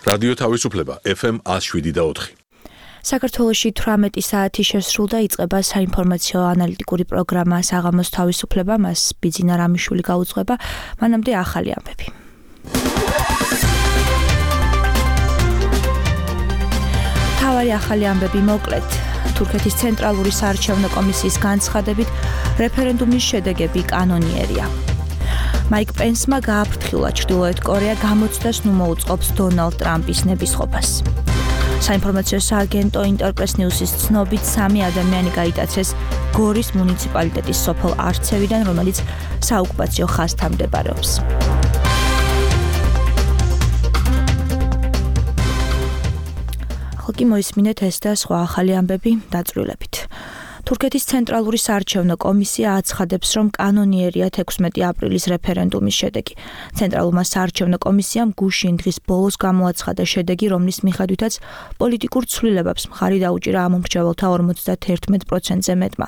რადიო თავისუფლება FM 107.4. საქართველოში 18 საათი შესრულდა, იწყება საინფორმაციო ანალიტიკური პროგრამა საღამოს თავისუფლება, მას ბიძინა რამიშვილი გაუძღვება, მანამდე ახალი ამბები. თავარი ახალი ამბები მოკლედ. თურქეთის ცენტრალური საარჩევნო კომისიის განცხადებით, რეფერენდუმის შედეგები კანონიერია. მაიკ პენსმა გააფრთხილა ჩრდილოეთ კორეა გამოცდას ნუ მოუწყობს დონალდ ტრამპის ნებისყოფას. საინფორმაციო სააგენტო ინტერპრეს ნიუსის ცნობით 3 ადამიანი გაიტაცეს გორის მუნიციპალიტეტის სოფელ არცევიდან, რომელიც საოკუპაციო ხაზთან მდებარეობს. ხალხი მოისმინეთ ეს და სხვა ახალი ამბები დაწვრილებით. თურქეთის ცენტრალური საარჩევნო კომისია აცხადებს, რომ კანონიერია 16 აპრილის რეფერენდუმის შედეგი. ცენტრალურმა საარჩევნო კომისიამ გუშინ დღის ბოლოს გამოაცხადა შედეგი, რომლის მიხედვითაც პოლიტიკურ ცვლილებებს მხარი დაუჭირა ამომრჩეველთა 51%-ზე მეტმა.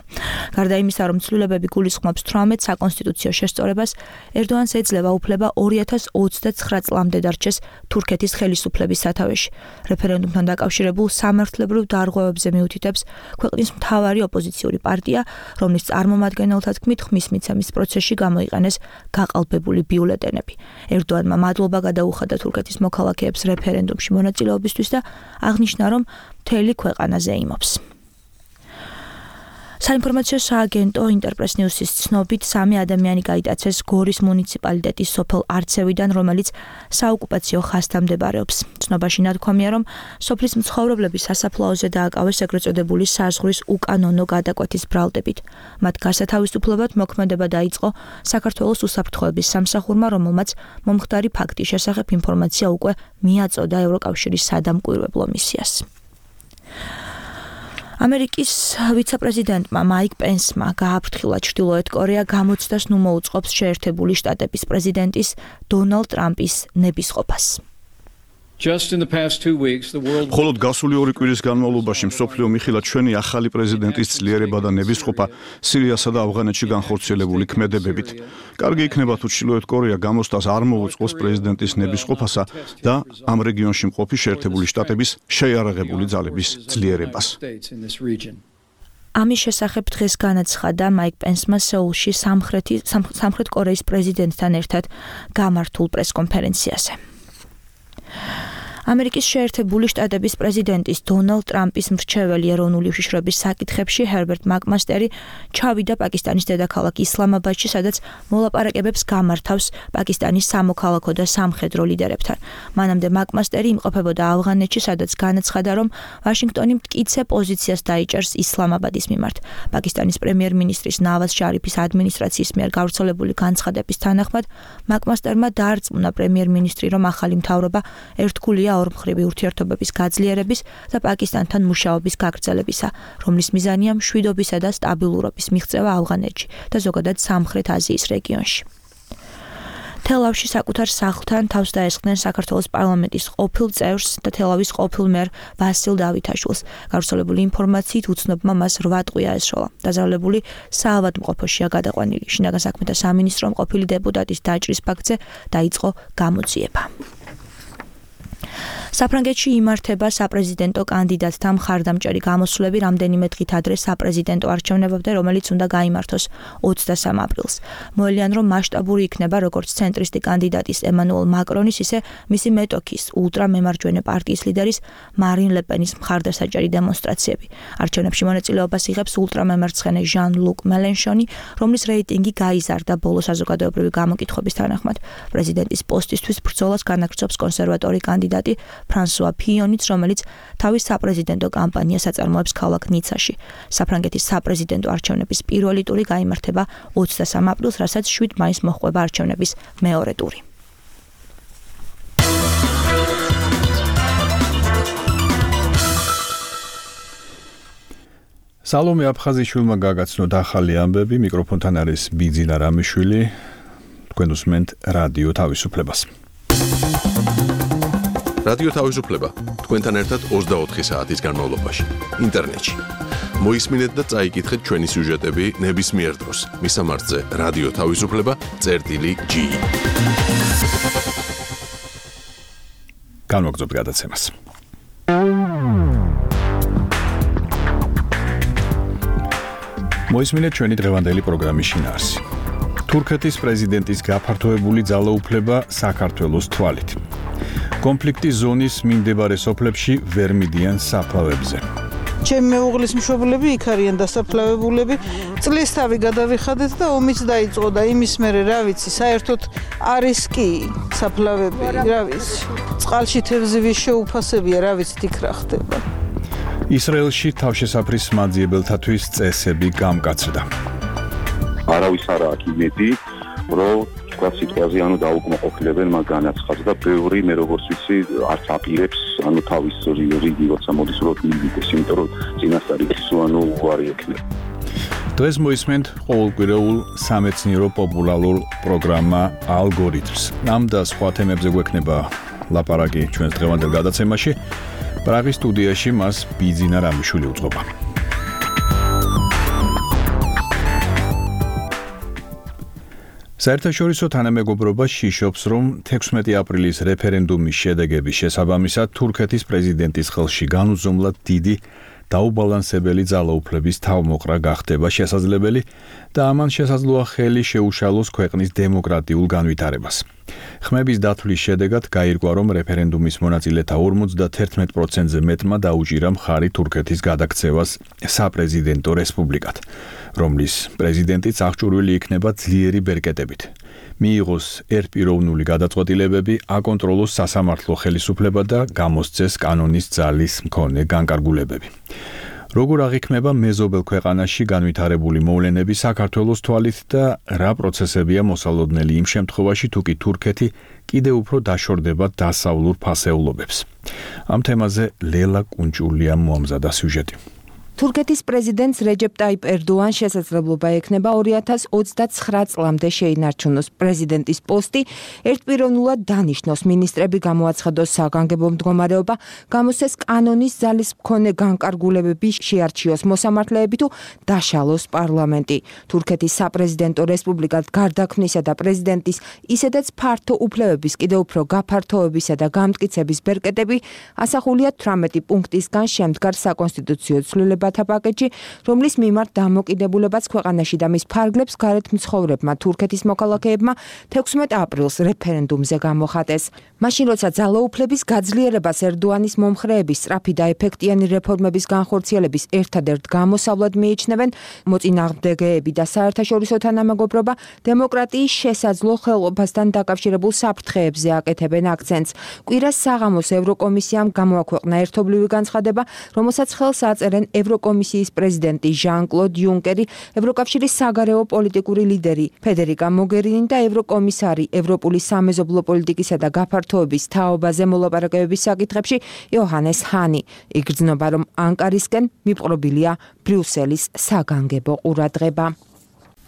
გარდა იმისა, რომ ცვლილებები გულისხმობს 18 საკონსტიტუციო შესწორებას, ერდოანს ეძლევა უფლება 2029 წლამდე დარჩეს თურქეთის ხელისუფლების სათავეში. რეფერენდუმთან დაკავშირებულ სამართლებრივ დარღვევებზე მიუთითებს ქვეყნის მთავარი ოპოზიციური პარტია, რომლის წარმომადგენელთა თქმით ხმის მიცემის პროცესში გამოიყენეს გაყალბებული ბიულეტენები. ერდოანმა მადლობა გადაუხადა თურქეთის მოქალაქეებს რეფერენდუმში მონაწილეობისთვის და აღნიშნა, რომ მთელი ქვეყანა ზეიმობს. საინფორმაციო სააგენტო ინტერპრეს ნიუსის ცნობით 3 ადამიანი გაიტაცეს გორის მუნიციპალიტეტის სოფელ არცევიდან, რომელიც საოკუპაციო ხაზთან მდებარეობს. ცნობაში ნათქვამია, რომ სოფლის მცხოვრებლები სასაფლაოზე დააკავეს ეგრეთ წოდებული საზღვრის უკანონო გადაკვეთის ბრალდებით. მათ გასათავისუფლებად მოქმედება დაიწყო საქართველოს უსაფრთხოების სამსახურმა, რომელმაც მომხდარი ფაქტის შესახებ ინფორმაცია უკვე მიაწოდა ევროკავშირის სადამკვირვებლო მისიას. ამერიკის ვიცე-პრეზიდენტმა მაიკ პენსმა გააფრთხილა ჩრდილოეთ კორეა გამოცდას ნუ მოუწყობს შეერთებული შტატების პრეზიდენტის დონალდ ტრამპის ნებისყოფას. მხოლოდ გასული 2 კვირის განმავლობაში მსოფლიო მიხილად ჩვენი ახალი პრეზიდენტის ძლიერება და ნებისყოფა სირიასა და ავღანეთში განხორციელებული ქმედებებით. კარგი იქნება თუ ჩრდილოეთ კორეა გამოცდას არ მოუწყოს პრეზიდენტის ნებისყოფასა და ამ რეგიონში მყოფი შეერთებული შტატების შეიარაღებული ძალების ძლიერებას. ამის შესახებ დღეს განაცხადა მაიკ პენსმა სეულში სამხრეთ კორეის პრეზიდენტთან ერთად გამართულ პრესკონფერენციაზე. ამერიკის შეერთებული შტატების პრეზიდენტის დონალდ ტრამპის მრჩეველი ეროვნული უშიშროების საკითხებში ჰერბერტ მაკმასტერი ჩავიდა პაკისტანის დედაქალაქ ისლამაბადში, სადაც მოლაპარაკებებს გამართავს პაკისტანის სამოქალაქო და სამხედრო ლიდერებთან. მანამდე მაკმასტერი იმყოფებოდა ავღანეთში, სადაც განაცხადა, რომ ვაშინგტონი მტკიცე პოზიციას დაიჭერს ისლამაბადის მიმართ. პაკისტანის პრემიერ-მინისტრის ნავაზ შარიფის ადმინისტრაციის მიერ გავრცელებული განცხადების თანახმად, მაკმასტერმა დაარწმუნა პრემიერ-მინისტრი, რომ ახალი მთავრობა ერთგულია ორმხრივი ურთიერთობების გაძლიერების და პაკისტანთან მუშაობის გაგრძელებისა, რომლის მიზანია მშვიდობისა და სტაბილურობის მიღწევა ავღანეთში და ზოგადად სამხრეთ აზიის რეგიონში. თელავში საკუთარ სახლთან თავს დაესხნენ საქართველოს პარლამენტის ყოფილ წევრს და თელავის ყოფილ მერ ვასილ დავითაშვილს. გავრცელებული ინფორმაციით უცნობმა მას 8 ტყვია ესროლა. დაზარალებული საავადმყოფოშია გადაყვანილი. შინაგან საქმეთა სამინისტრომ ყოფილი დეპუტატის დაჭრის ფაქტზე დაიწყო გამოძიება. საფრანგეთში იმართება საპრეზიდენტო კანდიდატთა მხარდამჭერი გამოსვლები რამდენიმე დღით ადრე საპრეზიდენტო არჩევნებამდე, რომელიც უნდა გაიმართოს 23 აპრილს. მოელიან, რომ მასშტაბური იქნება როგორც ცენტრისტი კანდიდატის ემანუელ მაკრონის, ისე მისი მეტოქის ულტრამემარჯვენე პარტიის ლიდერის მარინ ლე-პენის მხარდასაჭერი დემონსტრაციები. არჩევნებში მონაწილეობას იღებს ულტრამემარცხენე ჟან-ლუკ მელენშონი, რომლის რეიტინგი გაიზარდა ბოლო საზოგადოებრივი გამოკითხვების თანახმად. პრეზიდენტის პოსტისთვის ბრძოლას განაგრძობს კონსერვატორი კანდიდატი ფრანსუა ფიონიც, რომელიც თავის საპრეზიდენტო კამპანიას აწარმოებს ქალაქ ნიცაში. საფრანგეთის საპრეზიდენტო არჩევნების პირველი ტური გაიმართება 23 აპრილს, რასაც 7 მაისს მოჰყვება არჩევნების მეორე ტური. სალომე აფხაზიშვილმა გაგაცნოთ ახალი ამბები, მიკროფონთან არის ბიძინა რამიშვილი, თქვენ უსმენთ რადიო თავისუფლებას. რადიო თავისუფლება თქვენთან ერთად 24 საათის განმავლობაში ინტერნეტში. მოისმინეთ და წაიკითხეთ ჩვენი სიუჟეტები ნებისმიერ დროს. მისამართზე რადიო თავისუფლება.ge. განვაგრძობთ გადაცემას. მოისმინეთ ჩვენი დღევანდელი პროგრამის შინაარსი. თურქეთის პრეზიდენტის გაფართოებული ძალაუფლება საქართველოს თვალით. კონფლიქტის ზონის მიმდებარე სოფლებში ვერ მიდიან საფლავებზე. ჩემი მეუღლის მშობლები იქ არიან დასაფლავებულები. წლის თავი გადავიხადეთ და ომიც დაიწყო და იმის მერე რა ვიცი, საერთოდ არის კი საფლავები, რა ვიცი. წყალში თევზების შეუფასებია, რა ვიცი, იქ რა ხდება. ისრაელში თავშესაფრის მაძიებელთათვის წესები გამკაცრდა. არავის არა აქ იმედი, რომ თქვა სიტყვაზე დაუკმაყოფილებენ მაგ განაცხადს და ბევრი მე როგორც ვიცი არც აპირებს თავის რიგი როცა მოდის რომ მივიდეს, იმიტომ რომ წინასწარ ის უარი ექნება. დღეს მოისმენთ ყოველკვირეულ სამეცნიერო პოპულარულ პროგრამა ალგორითმს. ამ და სხვა თემებზე გვექნება ლაპარაკი ჩვენს დღევანდელ გადაცემაში. პრაღის სტუდიაში მას ბიძინა რამიშვილი უწყობა. საერთაშორისო თანამეგობრობა შიშობს, რომ 16 აპრილის რეფერენდუმის შედეგების შესაბამისად თურქეთის პრეზიდენტის ხელში განუზომლად დიდი დაუბალანსებელი ძალაუფლების თავმოყრა გახდება შესაძლებელი და ამან შესაძლოა ხელი შეუშალოს ქვეყნის დემოკრატიულ განვითარებას. ხმების დათვლის შედეგად გაირკვა, რომ რეფერენდუმის მონაწილეთა 51%-ზე მეტმა დაუჭირა მხარი თურქეთის გადაქცევას საპრეზიდენტო რესპუბლიკად, რომლის პრეზიდენტიც აღჭურვილი იქნება ძლიერი ბერკეტებით. მიიღოს ერთპიროვნული გადაწყვეტილებები, აკონტროლოს სასამართლო ხელისუფლება და გამოსცეს კანონის ძალის მქონე განკარგულებები. როგორ აღიქმება მეზობელ ქვეყანაში განვითარებული მოვლენები საქართველოს თვალით და რა პროცესებია მოსალოდნელი იმ შემთხვევაში, თუ კი თურქეთი კიდევ უფრო დაშორდება დასავლურ ფასეულობებს. ამ თემაზე ლელა კუნჭულიამ მოამზადა სიუჟეტი. თურქეთის პრეზიდენტს რეჯეპ ტაიპ ერდოანს შესაძლებლობა ექნება 2029 წლამდე შეინარჩუნოს პრეზიდენტის პოსტი, ერთპიროვნულად დანიშნოს მინისტრები, გამოაცხადოს საგანგებო მდგომარეობა, გამოსცეს კანონის ძალის მქონე განკარგულებები, შეარჩიოს მოსამართლეები თუ დაშალოს პარლამენტი. თურქეთის საპრეზიდენტო რესპუბლიკად გარდაქმნისა და პრეზიდენტის ისედაც ფართო უფლებების კიდევ უფრო გაფართოებისა და გამტკიცების ბერკეტები ასახულია 18 პუნქტისგან შემდგარ საკონსტიტუციო ცვლილებათა პაკეტში, რომლის მიმართ დამოკიდებულებაც ქვეყანაში და მის ფარგლებს გარეთ მცხოვრებმა თურქეთის მოქალაქეებმა 16 აპრილს რეფერენდუმზე გამოხატეს. მაშინ როცა ძალაუფლების გაძლიერებას ერდოანის მომხრეების სწრაფი და ეფექტიანი რეფორმების განხორციელების ერთადერთ გამოსავლად მიიჩნევენ, მოწინააღმდეგეები და საერთაშორისო თანამეგობრობა დემოკრატიის შესაძლო ხელყოფასთან დაკავშირებულ საფრთხეებზე აკეთებენ აქცენტს. კვირას საღამოს ევროკომისიამ გამოაქვეყნა ერთობლივი განცხადება, რომელსაც ხელს აწერენ ევროკომისიის პრეზიდენტი ჟან-კლოდ იუნკერი, ევროკავშირის საგარეო პოლიტიკური ლიდერი ფედერიკა მოგერინი და ევროკომისარი ევროპული სამეზობლო პოლიტიკისა და გაფართოების თაობაზე მოლაპარაკებების საკითხებში იოჰანეს ჰანი. იგრძნობა, რომ ანკარისკენ მიპყრობილია ბრიუსელის საგანგებო ყურადღება.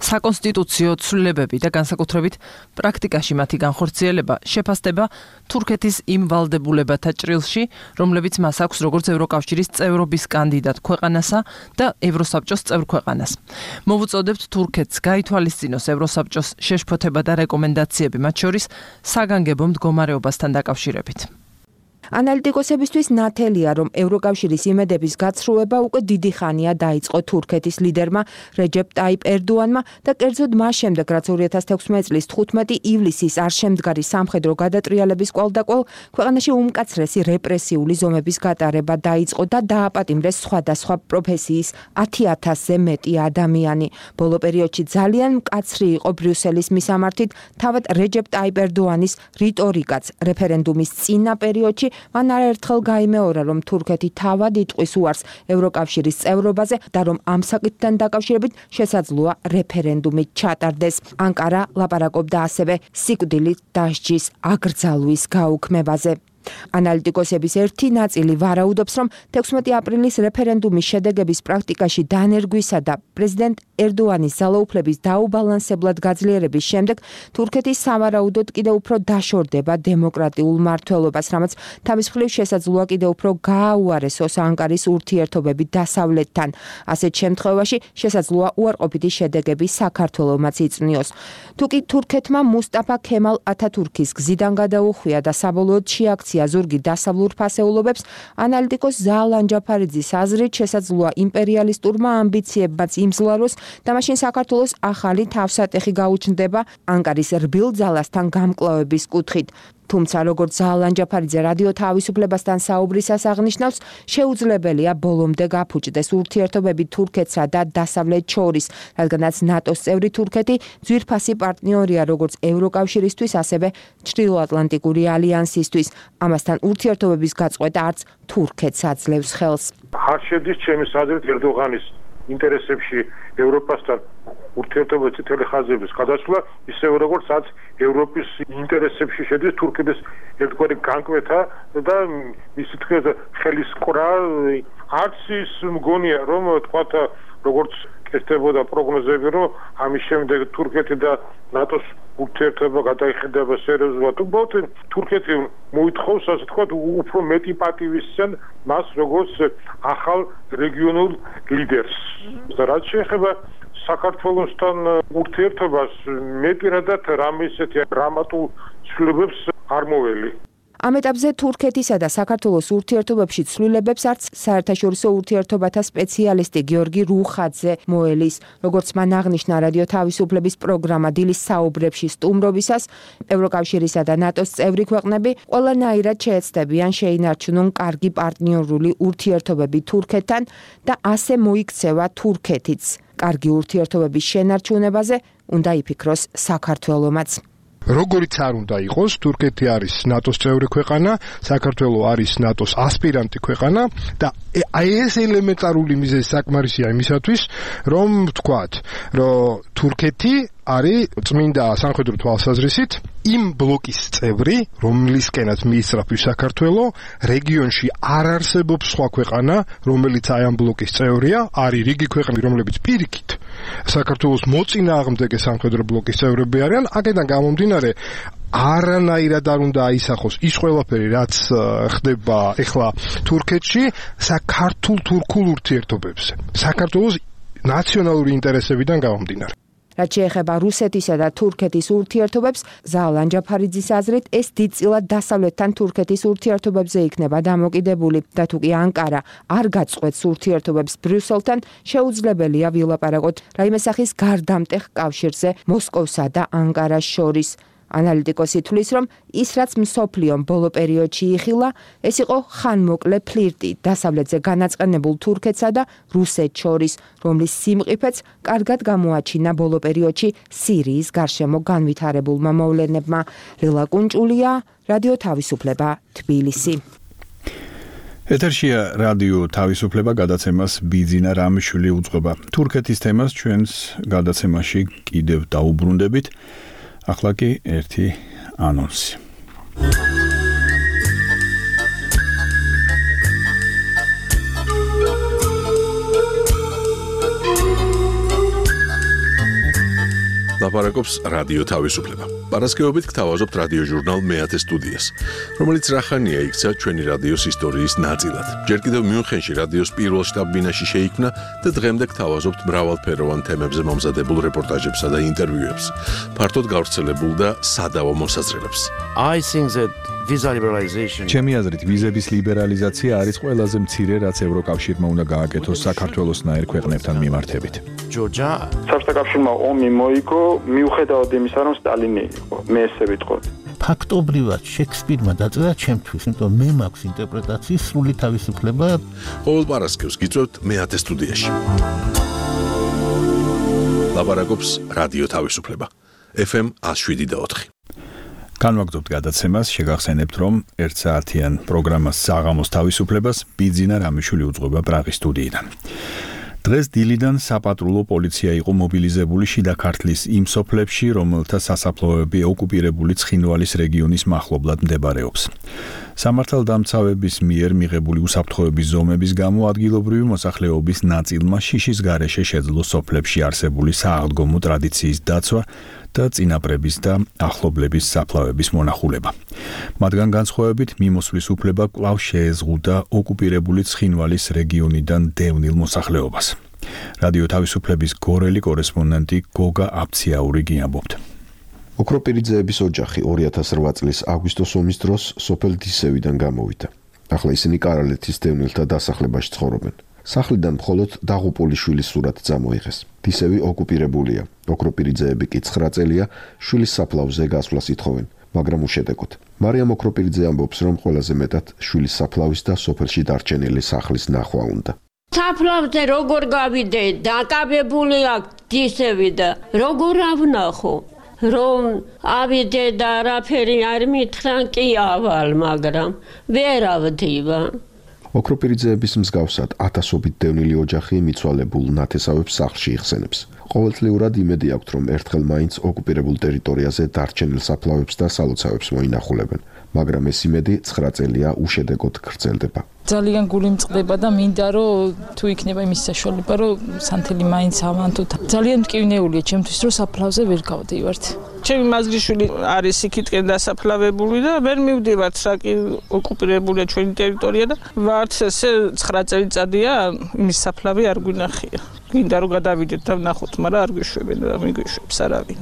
საკონსტიტუციო ცვლილებები და განსაკუთრებით პრაქტიკაში მათი განხორციელება შეფასდება თურქეთის იმ ვალდებულებათა ჭრილში, რომლებიც მას აქვს როგორც ევროკავშირის წევრობის კანდიდატ ქვეყანასა და ევროსაბჭოს წევრ ქვეყანას. მოვუწოდებთ თურქეთს გაითვალისწინოს ევროსაბჭოს შეშფოთება და რეკომენდაციები, მათ შორის საგანგებო მდგომარეობასთან დაკავშირებით. ანალიტიკოსებისთვის ნათელია, რომ ევროკავშირის იმედების გაცრუება უკვე დიდი ხანია დაიწყო თურქეთის ლიდერმა რეჯეპ ტაიპ ერდოანმა და კერძოდ მას შემდეგ, რაც 2016 წლის 15 ივლისის არშემდგარი სამხედრო გადატრიალების კვალდაკვალ ქვეყანაში უმკაცრესი რეპრესიული ზომების გატარება დაიწყო და დააპატიმრეს სხვადასხვა პროფესიის 10,000-ზე მეტი ადამიანი. ბოლო პერიოდში ძალიან მკაცრი იყო ბრიუსელის მისამართით თავად რეჯეპ ტაიპ ერდოანის რიტორიკაც რეფერენდუმის წინა პერიოდში მან არაერთხელ გაიმეორა, რომ თურქეთი თავად იტყვის უარს ევროკავშირის წევრობაზე და რომ ამ საკითხთან დაკავშირებით შესაძლოა რეფერენდუმი ჩატარდეს. ანკარა ლაპარაკობდა ასევე სიკვდილით დასჯის აკრძალვის გაუქმებაზე. ანალიტიკოსების ერთი ნაწილი ვარაუდობს, რომ 16 აპრილის რეფერენდუმის შედეგების პრაქტიკაში დანერგვისა და პრეზიდენტ ერდოანის ძალაუფლების დაუბალანსებლად გაძლიერების შემდეგ თურქეთის სავარაუდოდ კიდევ უფრო დაშორდება დემოკრატიულ მმართველობას, რამაც თავის მხრივ შესაძლოა კიდევ უფრო გააუარესოს ანკარის ურთიერთობები დასავლეთთან. ასეთ შემთხვევაში შესაძლოა უარყოფითი შედეგები საქართველოსაც იწვნიოს. თუკი თურქეთმა მუსტაფა ქემალ ათათურქის გზიდან გადაუხვია და საბოლოოდ შეაქცია ზურგი დასავლურ ფასეულობებს, ანალიტიკოს ზაალან ჯაფარიძის აზრით შესაძლოა იმპერიალისტურმა ამბიციებმაც იმძლავროს და მაშინ საქართველოს ახალი თავსატეხი გაუჩნდება ანკარის რბილ ძალასთან გამკლავების კუთხით. თუმცა როგორც ზაალან ჯაფარიძე რადიო თავისუფლებასთან საუბრისას აღნიშნავს, შეუძლებელია ბოლომდე გაფუჭდეს ურთიერთობები თურქეთსა და დასავლეთ შორის, რადგანაც ნატოს წევრი თურქეთი ძვირფასი პარტნიორია როგორც ევროკავშირისთვის, ასევე ჩრდილოატლანტიკური ალიანსისთვის. ამასთან ურთიერთობების გაწყვეტა არც თურქეთს აძლევს ხელს. არ შედის ჩემი აზრით ერდოღანის ინტერესებში ევროპასთან ურთიერთობების წითელი ხაზების გადასვლა, ისევე როგორც რაც ევროპის ინტერესებში შედის თურქეთის ერთგვარი განკვეთა და მისი თქმით ხელის ყრა. არც ის მგონია, რომ თქვათ როგორც ესწრებოდა პროგნოზები, რომ ამის შემდეგ თურქეთი და ნატოს ურთიერთობა გადაიხადება სერიოზულად. უბრალოდ თურქეთი მოითხოვს, ასე თქვათ, უფრო მეტი პატივისცემ მას როგორც ახალ რეგიონულ ლიდერს. და რაც შეეხება საქართველოსთან ურთიერთობას, მე პირადად რამე ისეთი დრამატულ ცვლილებებს არ მოველი. ამ ეტაპზე თურქეთისა და საქართველოს ურთიერთობებში ცვლილებებს არც საერთაშორისო ურთიერთობათა სპეციალისტი გიორგი რუხაძე მოელის. როგორც მან აღნიშნა რადიო თავისუფლების პროგრამა დილის საუბრებში სტუმრობისას, ევროკავშირისა და ნატოს წევრი ქვეყნები ყველანაირად შეეცდებიან შეინარჩუნონ კარგი პარტნიორული ურთიერთობები თურქეთთან და ასე მოიქცევა თურქეთიც. კარგი ურთიერთობების შენარჩუნებაზე უნდა იფიქროს საქართველომაც. როგორიც არ უნდა იყოს, თურქეთი არის ნატოს წევრი ქვეყანა, საქართველო არის ნატოს ასპირანტი ქვეყანა და ეს ელემენტარული მიზეზი საკმარისია იმისათვის, რომ ვთქვათ, რომ თურქეთი არის წმინდა სამხედრო თვალსაზრისით იმ ბლოკის წევრი, რომლისკენაც მიისწრაფვის საქართველო, რეგიონში არ არსებობს სხვა ქვეყანა, რომელიც აი ამ ბლოკის წევრია, არის რიგი ქვეყნები, რომლებიც პირიქით საქართველოს მოწინააღმდეგე სამხედრო ბლოკის წევრები არიან, აქედან გამომდინარე არანაირად არ უნდა აისახოს ის ყველაფერი, რაც ხდება ეხლა თურქეთში საქართველო-თურქულ ურთიერთობებზე. საქართველოს ნაციონალური ინტერესებიდან გამომდინარე. რაც შეეხება რუსეთისა და თურქეთის ურთიერთობებს, ზაალან ჯაფარიძის აზრით, ეს დიდწილად დასავლეთთან თურქეთის ურთიერთობებზე იქნება დამოკიდებული და თუკი ანკარა არ გაწყვეტს ურთიერთობებს ბრიუსელთან, შეუძლებელია ვილაპარაკოთ რაიმე სახის გარდამტეხ კავშირზე მოსკოვსა და ანკარას შორის. ანალიტიკოსი თვლის, რომ ის რაც მსოფლიომ ბოლო პერიოდში იხილა, ეს იყო ხანმოკლე ფლირტი დასავლეთზე განაწყენებულ თურქეთსა და რუსეთს შორის, რომლის სიმყიფეც კარგად გამოაჩინა ბოლო პერიოდში სირიის გარშემო განვითარებულმა მოვლენებმა. ლილა კუნჭულია, რადიო თავისუფლება, თბილისი. ეთერშია რადიო თავისუფლება, გადაცემას ბიძინა რამიშვილი უძღვება. თურქეთის თემას ჩვენს გადაცემაში კიდევ დაუბრუნდებით. ახლა კი ერთი ანონსი. ლაპარაკობს რადიო თავისუფლება. პარასკევობით გთავაზობთ რადიო ჟურნალ მეათე სტუდიას, რომელიც რახანია იქცა ჩვენი რადიოს ისტორიის ნაწილად. ჯერ კიდევ მიუნხენში რადიოს პირველ შტაბ-ბინაში შეიქმნა და დღემდე გთავაზობთ მრავალფეროვან თემებზე მომზადებულ რეპორტაჟებსა და ინტერვიუებს, ფართოდ გავრცელებულ და სადავო მოსაზრებებს. ჩემი აზრით, ვიზების ლიბერალიზაცია არის ყველაზე მცირე, რაც ევროკავშირმა უნდა გააკეთოს საქართველოსნაირ ქვეყნებთან მიმართებით. საბჭოთა კავშირმა ომი მოიგო, მიუხედავად იმისა, რომ სტალინი იყო, მე ესე ვიტყოდი. ფაქტობრივად შექსპირმა დაწერა ჩემთვის, იმიტომ მე მაქვს ინტერპრეტაციის სრული თავისუფლება. ყოველ პარასკევს გიწევთ მეათე სტუდიაში. ლაპარაკობს რადიო თავისუფლება. FM 107.4. განვაგრძობთ გადაცემას, შეგახსენებთ, რომ 1 საათიან პროგრამას საღამოს თავისუფლებას ბიძინა რამიშვილი უძღვება პრაღის სტუდიიდან. დღეს დილიდან საპატრულო პოლიცია იყო მობილიზებული შიდა ქართლის იმ სოფლებში, რომელთა სასაფლაოები ოკუპირებული ცხინვალის რეგიონის მახლობლად მდებარეობს. სამართალდამცავების მიერ მიღებული უსაფრთხოების ზომების გამო ადგილობრივი მოსახლეობის ნაწილმა შიშის გარეშე შეძლო სოფლებში არსებული სააღდგომო ტრადიციის დაცვა და წინაპრების და ახლობლების საფლავების მონახულება. მათგან განსხვავებით მიმოსვლის უფლება კვლავ შეეზღუდა ოკუპირებული ცხინვალის რეგიონიდან დევნილ მოსახლეობას. რადიო თავისუფლების გორელი კორესპონდენტი გოგა აფციაური გიამბობთ. ოქროპირიძეების ოჯახი 2008 წლის აგვისტოს ომის დროს სოფელ დისევიდან გამოვიდა. ახლა ისინი კარალეთის დევნილთა დასახლებაში ცხოვრობენ. სახლიდან მხოლოდ დაღუპული შვილის სურათი წამოიღეს. დისევი ოკუპირებულია. ოქროპირიძეები კი 9 წელია შვილის საფლავზე გასვლას ითხოვენ, მაგრამ უშედეგოდ. მარიამ ოქროპირიძე ამბობს, რომ ყველაზე მეტად შვილის საფლავის და სოფელში დარჩენილი სახლის ნახვა უნდა. საფლავზე როგორ გავიდე, დაკავებული აქვს დისევი და როგორ ავნახო, რომ ავიდე და არაფერი არ მითხრან კი ავალ, მაგრამ ვერ ავდივა. ოქროპირიძეების მსგავსად ათასობით დევნილი ოჯახი მიცვალებულ ნათესავებს სახლში იხსენებს. ყოველწლიურად იმედი აქვთ, რომ ერთხელ მაინც ოკუპირებულ ტერიტორიაზე დარჩენილ საფლავებს და სალოცავებს მოინახულებენ, მაგრამ ეს იმედი 9 წელია უშედეგოდ გრძელდება. ძალიან გული მწყდება და მინდა რომ თუ იქნება იმის საშუალება, რომ სანთელი მაინც ავანთოთ. ძალიან მტკივნეულია ჩემთვის, რომ საფლავზე ვერ გავდივართ. ჩემი მაზრიშვილი არის იქითკენ დასაფლავებული და ვერ მივდივართ, რაკი ოკუპირებულია ჩვენი ტერიტორია და ვარც ესე 9 წელიწადია იმის საფლავი არ გვინახია. გინდა რომ გადავიდეთ და ვნახოთ, მაგრამ არ გვიშვებენ და მიგვიშვებს არავინ.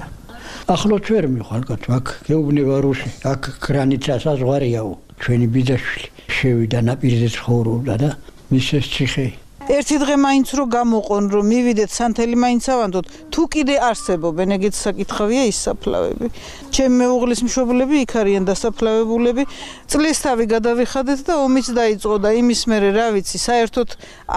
ახლოთ ვერ მიხვალგოთ, აქ გეუბნება რუსი, აქ გრანიცა საზღვარიაო, ჩვენი ბიძაშვილი შევიდა ნაპირზე ცხოვრობდა და მის ეს ციხე. ერთი დღე მაინც რო გამოყონ, რომ მივიდეთ სანთელი მაინც ავანდოთ, თუ კიდე არსებობენ ეგეთ საკითხავია ის საფლავები. ჩემი მეუღლის მშობლები იქ არიან დასაფლავებულები, წლისთავი გადავიხადეთ და ომიც დაიწყო და იმის მერე რა ვიცი, საერთოდ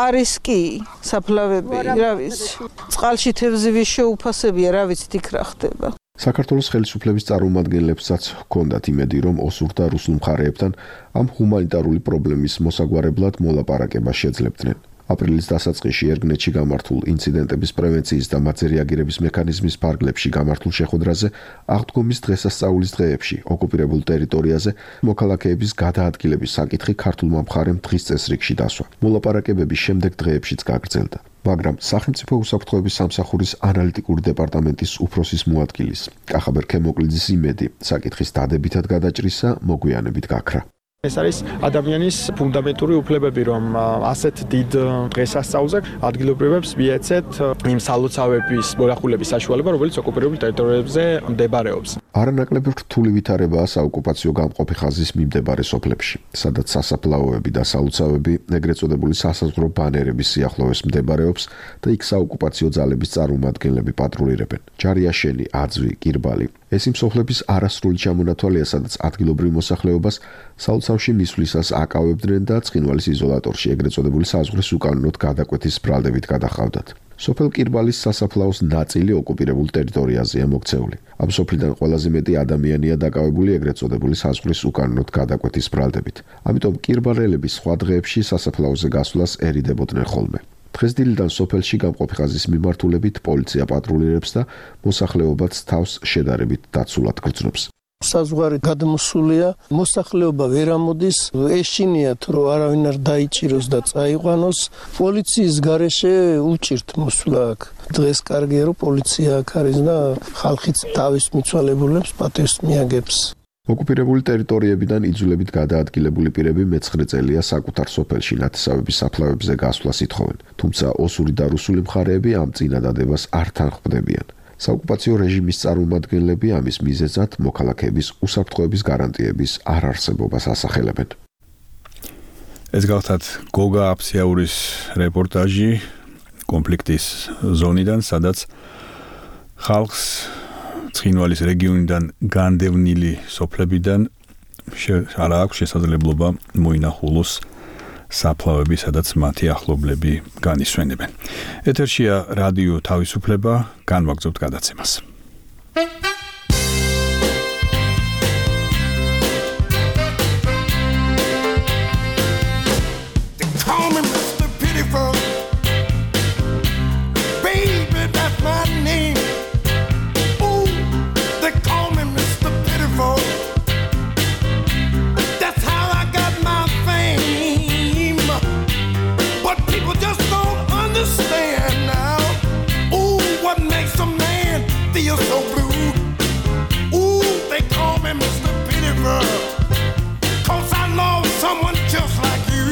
არის კი საფლავები, რა ვიცი. წყალში თევზივის შეუფასებია, რა ვიცი, იქ რა ხდება. საქართველოს ხელისუფლების წარმომადგენლებსაც ჰქონდათ იმედი, რომ ოსურ და რუსულ მხარეებთან ამ ჰუმანიტარული პრობლემის მოსაგვარებლად მოლაპარაკება შეძლებდნენ. აპრილის დასაწყისში ერგნეთში გამართულ ინციდენტების პრევენციის და მათზე რეაგირების მექანიზმის ფარგლებში გამართულ შეხვედრაზე აღდგომის დღესასწაულის დღეებში ოკუპირებულ ტერიტორიაზე მოქალაქეების გადაადგილების საკითხი ქართულმა მხარემ დღის წესრიგში დასვა. მოლაპარაკებების შემდეგ დღეებშიც გაგრძელდა. მაგრამ სახელმწიფო უსაფრთხოების სამსახურის ანალიტიკური დეპარტამენტის უფროსის მოადგილის კახაბერ ქემოკლიძის იმედი საკითხის დადებითად გადაჭრისა მოგვიანებით გაქრა. ეს არის ადამიანის ფუნდამენტური უფლებები, რომ ასეთ დიდ დღესასწაულზე ადგილობრივებს მიეცეთ იმ სალოცავების მონახულების საშუალება, რომელიც ოკუპირებულ ტერიტორიებზე მდებარეობს. არანაკლებ რთული ვითარებაა საოკუპაციო გამყოფი ხაზის მიმდებარე სოფლებში, სადაც სასაფლაოები და სალოცავები, ეგრეთ წოდებული სასაზღვრო ბანერების სიახლოვეს მდებარეობს და იქ საოკუპაციო ძალების წარმომადგენლები პატრულირებენ. ჯარიაშენი, აძვი, კირბალი. ეს იმ სოფლების არასრული ჩამონათვალია, სადაც ადგილობრივ მოსახლეობას სალოცავში მისვლისას აკავებდნენ და ცხინვალის იზოლატორში ეგრეთ წოდებული საზღვრის უკანონოდ გადაკვეთის ბრალდებით გადაჰყავდათ. სოფელ კირბალის სასაფლაოს ნაწილი ოკუპირებულ ტერიტორიაზეა მოქცეული. ამ სოფლიდან ყველაზე მეტი ადამიანია დაკავებული ეგრეთ წოდებული საზღვრის უკანონოდ გადაკვეთის ბრალდებით. ამიტომ კირბალელები სხვა დღეებში სასაფლაოზე გასვლას ერიდებოდნენ ხოლმე. დღეს დილიდან სოფელში გამყოფი ხაზის მიმართულებით პოლიცია პატრულირებს და მოსახლეობაც თავს შედარებით დაცულად გრძნობს. საზღვარი გადმოსულია, მოსახლეობა ვერ ამოდის, ეშინიათ რომ არავინ არ დაიჭიროს და წაიყვანოს. პოლიციის გარეშე უჭირთ მოსვლა აქ. დღეს კარგია რომ პოლიცია აქ არის და ხალხიც თავის მიცვალებულებს პატივს მიაგებს. ოკუპირებული ტერიტორიებიდან იძულებით გადაადგილებული პირები მე-9 წელია საკუთარ სოფელში ნათესავების საფლავებზე გასვლას ითხოვენ, თუმცა ოსური და რუსული მხარეები ამ წინადადებას არ თანხმდებიან. საოკუპაციო რეჟიმის წარმომადგენლები ამის მიზეზად მოქალაქეების უსაფრთხოების გარანტიების არ არსებობას ასახელებენ. ეს გახლავთ გოგა აფციაურის რეპორტაჟი კონფლიქტის ზონიდან, სადაც ხალხს ცხინვალის რეგიონიდან განდევნილი სოფლებიდან არ აქვს შესაძლებლობა მოინახულოს საფლავები, სადაც მათი ახლობლები განისვენებენ. ეთერშია რადიო თავისუფლება, განვაგრძობთ გადაცემას. feel so blue. Ooh, they call me Mr. Pitiful, 'cause I love someone just like you.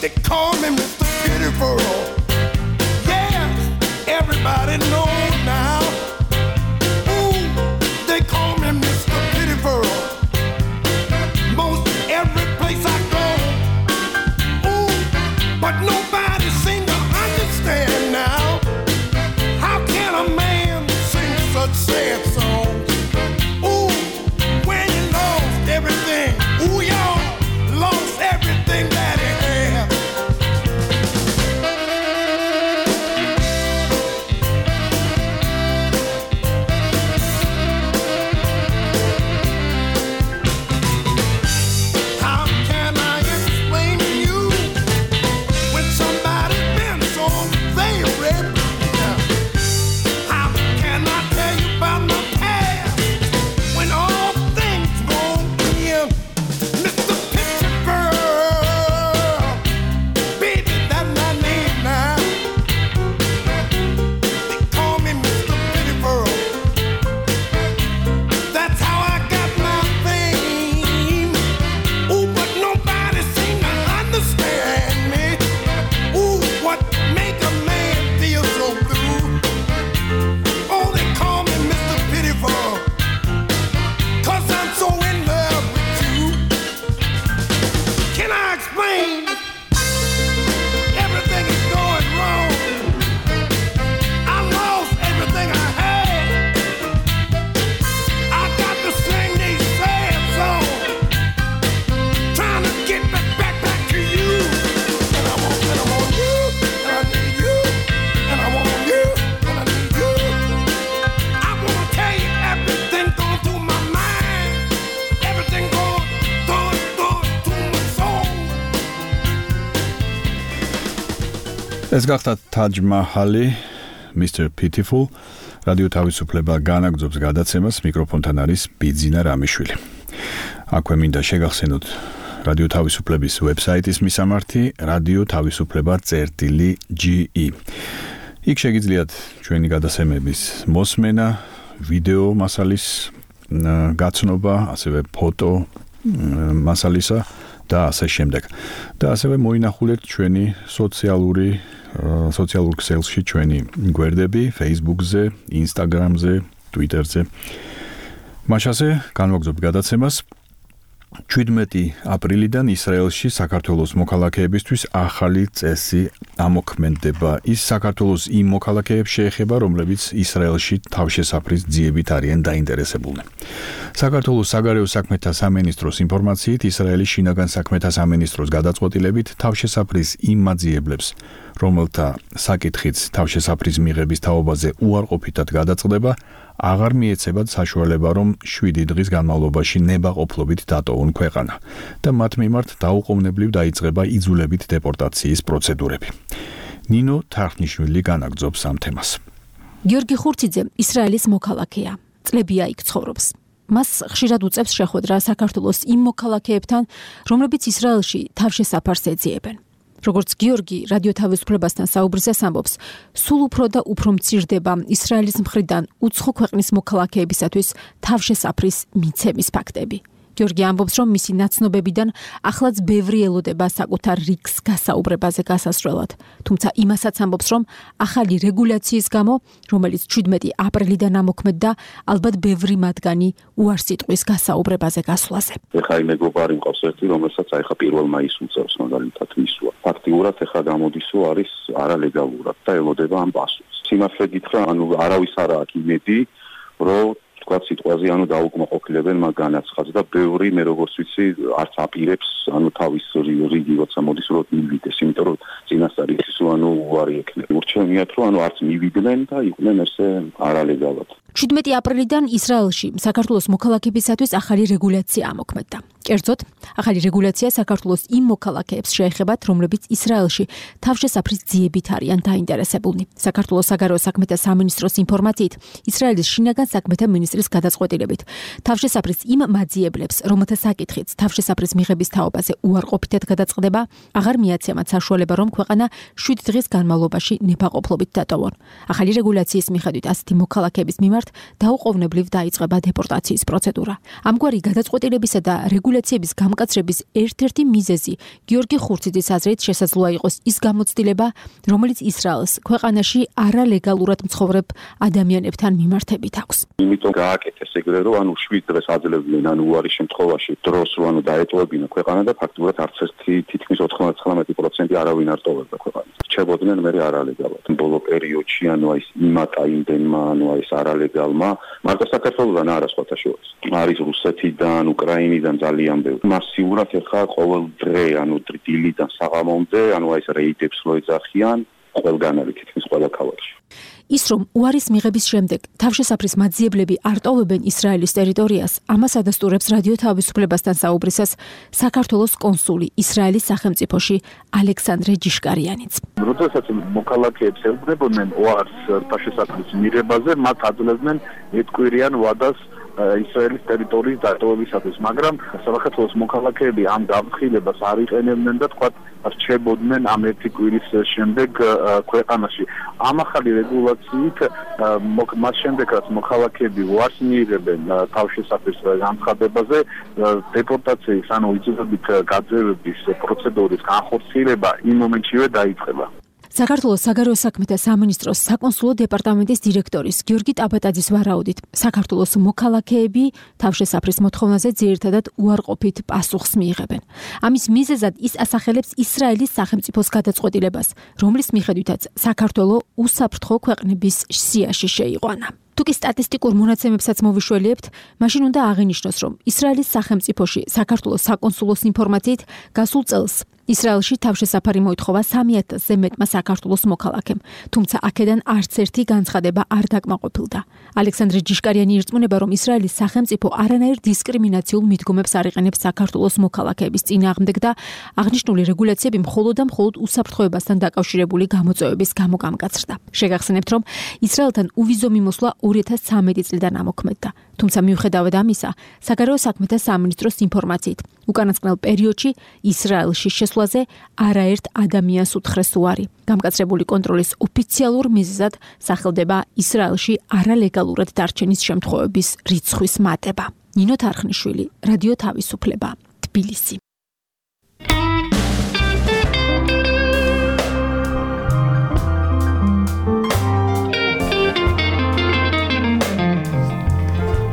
They call me Mr. Pitiful. Yeah, everybody knows now. Ooh, they call me Mr. Pitiful. Most every place I go. Ooh, but nobody seems to understand now. How can a man sing such sad songs? Ooh, when he lost everything. Ooh, y'all lost everything that he had. How can I explain to you when somebody's been so very blue? How can I tell you about my past when all things won't end? Mr. Picture Girl, baby, that's my name now. They call me Mr. Pitiful. That's how I got my fame. Ooh, but nobody seems to understand me. Ooh, what make a man feel so blue? Oh, they call me Mr. Pitiful, 'cause I'm so in love with you. Can I explain? Everything is going wrong. I lost everything I had. I got to sing these sad songs, trying to get back to you. And I want you, and I need you, and I want you, and I need you. I want to tell you everything going through my mind, everything going through my soul. ეს გახდა Taj Mahal-ი, Mr. Pitiful. რადიო თავისუფლება განაგრძობს გადაცემას, მიკროფონთან არის ბიძინა რამიშვილი. აქვე მინდა შეგახსენოთ რადიო თავისუფლების ვებსაიტის მისამართი radio-tavisupleba.ge. იქ შეგიძლიათ ჩვენი გადაცემების მოსმენა, ვიდეო მასალის გაცნობა, ასევე ფოტო მასალისა და ასე შემდეგ. და ასევე მოინახულეთ ჩვენი სოციალურ ქსელში ჩვენი გვერდები Facebook-ზე, Instagram-ზე, Twitter-ზე. მაშასე განვაგრძობ გადაცემას. 17 აპრილიდან ისრაელში საქართველოს მოქალაქეებისთვის ახალი წესი ამოქმედება. ის საქართველოს იმ მოქალაქეებს შეეხება, რომლებიც ისრაელში თავშესაფრის ძიებით არიან დაინტერესებულნი. საქართველოს საგარეო საქმეთა სამინისტროს ინფორმაციით, ისრაელის შინაგან საქმეთა სამინისტროს გადაწყვეტილებით თავშესაფრის იმ მაძიებლებს, რომელთა საკითხიც თავშესაფრის მიღების თაობაზე უარყოფითად გადაწყდება, აღარ მიეცებათ საშუალება, რომ 7 დღის განმავლობაში ნებაყოფლობით დატოვონ ქვეყანა და მათ მიმართ დაუყოვნებლივ დაიწყება იძულებით დეპორტაციის პროცედურები. ნინო თარხნიშვილი განაგრძობს ამ თემას. გიორგი ხურციძე ისრაელის მოქალაქეა. წლებია იქ ცხოვრობს. მას ხშირად უწევს შეხვედრა საქართველოს იმ მოქალაქეებთან, რომლებიც ისრაელში თავშესაფარს ეძიებენ. როგორც გიორგი რადიო თავისუფლებასთან საუბრისას ამბობს, სულ უფრო და უფრო მცირდება ისრაელის მხრიდან უცხო ქვეყნის მოქალაქეებისათვის თავშესაფრის მიცემის ფაქტები. გიორგი ამბობს, რომ მისი ნაცნობებიდან ახლაც ბევრი ელოდება საკუთარ რიგს გასაუბრებაზე გასასვლელად. თუმცა იმასაც ამბობს, რომ ახალი რეგულაციის გამო, რომელიც 17 აპრილიდან ამოქმედდა, ალბათ ბევრი მათგანი უარს იტყვის გასაუბრებაზე გასვლაზე. ეხლა იმ მეგობარი მყავს ერთი, რომელსაც აიხა 1 მაისს უწევს მაგალითად მისვლა. ფაქტიურად ეხლა გამოდისო არის არალეგალურად და ელოდება ამ პასუხს. სიმართლე გითხრა, არავის არ აქვს იმედი, რომ თქვა სიტყვაზე დაუკმაყოფილებენ მაგ განაცხადს და ბევრი მე როგორც ვიცი არც აპირებს თავის რიგი როცა მოდის რომ მივიდეს, იმიტომ რომ წინასწარ ის უარი ექნება. ურჩევნიათ რომ არც მივიდნენ და იყვნენ ესე არალეგალად. 17 აპრილიდან ისრაელში საქართველოს მოქალაქეებისათვის ახალი რეგულაცია ამოქმედდა. კერძოდ, ახალი რეგულაცია საქართველოს იმ მოქალაქეებს შეეხებათ, რომლებიც ისრაელში თავშესაფრის ძიებით არიან დაინტერესებულნი. საქართველოს საგარეო საქმეთა სამინისტროს ინფორმაციით, ისრაელის შინაგან საქმეთა მინისტრის გადაწყვეტილებით, თავშესაფრის იმ მაძიებლებს, რომელთა საკითხიც თავშესაფრის მიღების თაობაზე უარყოფითად გადაწყდება, აღარ მიაცემათ საშუალება, რომ ქვეყანა 7 დღის განმავლობაში ნებაყოფლობით დატოვონ. ახალი რეგულაციის მიხედვით ასეთი მოქალაქეების მიმართ დაუყოვნებლივ დაიწყება დეპორტაციის პროცედურა. ამგვარი გადაწყვეტილებისა და რეგულაციების გამკაცრების ერთ-ერთი მიზეზი გიორგი ხურციძის აზრით შესაძლოა იყოს ის გამოცდილება, რომელიც ისრაელს ქვეყანაში არალეგალურად მცხოვრებ ადამიანებთან მიმართებით აქვს. იმიტომ გააკეთეს ეგრე, რომ ანუ 7 დღეს აძლევდნენ, ანუ უარი შემთხვევაში დროს რო ანუ დაეტოვებინა ქვეყანა და ფაქტობრივად არც ერთი თითქმის 99% არავინ არ ტოვებდა ქვეყანას. რჩებოდნენ მე არალეგალად. ბოლო პერიოდში ანუ აი იმატა იმდენმა, ანუ აი ეს არალეგალმა, მარტო საქართველოსთან არა სხვათა შორის. არის რუსეთიდან, უკრაინიდან ძალიან ბევრი. მასიურად ეხა ყოველ დღე, ანუ დილიდან საღამომდე, ანუ აი ეს რეიდებს რო ეძახიან, ყველგან არის თითქმის ყველა ქალაქში. ის რომ უარის მიღების შემდეგ თავშესაფრის მაძიებლები არ ტოვებენ ისრაელის ტერიტორიას, ამას ადასტურებს რადიო თავისუფლებასთან საუბრისას საქართველოს კონსული ისრაელის სახელმწიფოში ალექსანდრე ჯიშკარიანიც. როდესაც მოქალაქეებს ელოდებოდნენ უარს თავშესაფრის მიღებაზე, მათ აძლევდნენ ეთკვირიან ვადას ისრაელის ტერიტორიის დატოვებისათვის, მაგრამ საქართველოს მოქალაქეები ამ გამხილებას არ იყენებდნენ და თქვა რჩებოდნენ ამ ერთი კვირის შემდეგ ქვეყანაში. ამ ახალი რეგულაციით მას შემდეგ რაც მოქალაქეები უარს მიიღებენ თავშესაფრის განცხადებაზე, დეპორტაციის ანუ იწოდებით გაძევების პროცედურის განხორციელება იმ მომენტშივე დაიწყება. საქართველოს საგარეო საქმეთა სამინისტროს საკონსულო დეპარტამენტის დირექტორის გიორგი ტაბატაძის ვარაუდით, საქართველოს მოქალაქეები თავშესაფრის მოთხოვნაზე ძირითადად უარყოფით პასუხს მიიღებენ. ამის მიზეზად ის ასახელებს ისრაელის სახელმწიფოს გადაწყვეტილებას, რომლის მიხედვითაც საქართველო უსაფრთხო ქვეყნების სიაში შეიყვანა. თუკი სტატისტიკურ მონაცემებსაც მოვიშველიებთ, მაშინ უნდა აღინიშნოს, რომ ისრაელის სახელმწიფოში საქართველოს საკონსულოს ინფორმაციით გასულ წელს ისრაელში თავშესაფარი მოითხოვა 3000-ზე მეტმა საქართველოს მოქალაქემ, თუმცა აქედან არც ერთი განცხადება არ დაკმაყოფილდა. ალექსანდრე ჯიშკარიანი ირწმუნება, რომ ისრაელის სახელმწიფო არანაირ დისკრიმინაციულ მიდგომებს არ იყენებს საქართველოს მოქალაქეების წინააღმდეგ და აღნიშნული რეგულაციები მხოლოდ და მხოლოდ უსაფრთხოებასთან დაკავშირებული გამოწვევების გამო გამკაცრდა. შეგახსენებთ, რომ ისრაელთან უვიზო მიმოსვლა 2013 წლიდან ამოქმედდა. თუმცა მიუხედავად ამისა, საგარეო საქმეთა სამინისტროს ინფორმაციით, უკანასკნელ პერიოდში ისრაელში შესვლაზე არაერთ ადამიანს უთხრეს უარი. გამკაცრებული კონტროლის ოფიციალურ მიზეზად სახელდება ისრაელში არალეგალურად დარჩენის შემთხვევების რიცხვის მატება. ნინო თარხნიშვილი, რადიო თავისუფლება, თბილისი.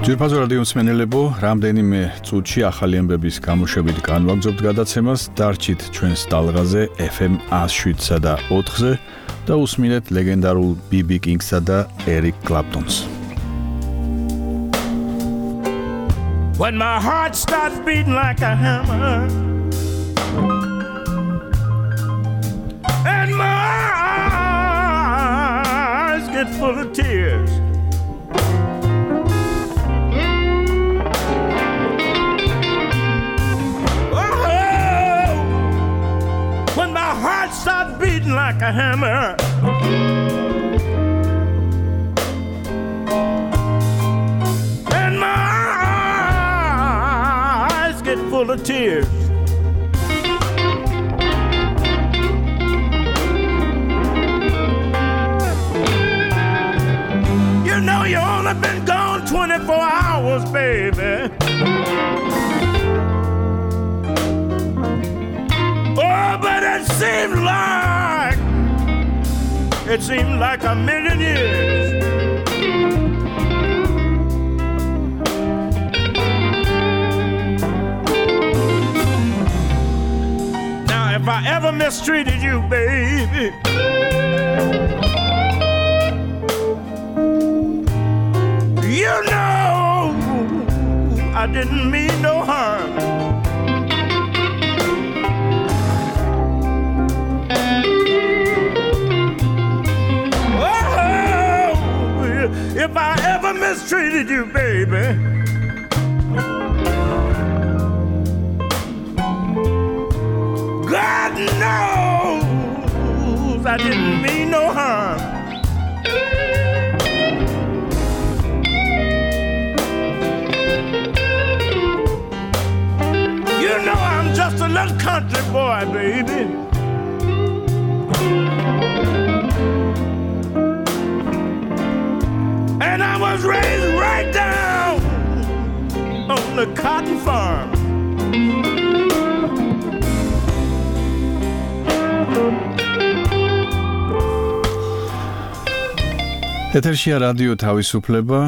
ძვირფასო რადიო მსმენელებო, რამდენიმე წუთში ახალი ამბების გამოშვებით განვაგრძობთ გადაცემას, დარჩით ჩვენს ტალღაზე FM 107-სა და 4-ზე და უსმინეთ ლეგენდარულ BB King-სა და Eric Clapton-ს. When my heart starts beating like a hammer and my eyes get full of tears, start beating like a hammer and my eyes get full of tears. You know you only been gone 24 hours, baby. But it seemed like a million years. Now if I ever mistreated you, baby, you know I didn't mean no harm. If I ever mistreated you, baby. God knows I didn't mean no harm. You know I'm just a little country boy, baby. And I was raised right down on the cotton farm. ეთერშია რადიო თავისუფლება,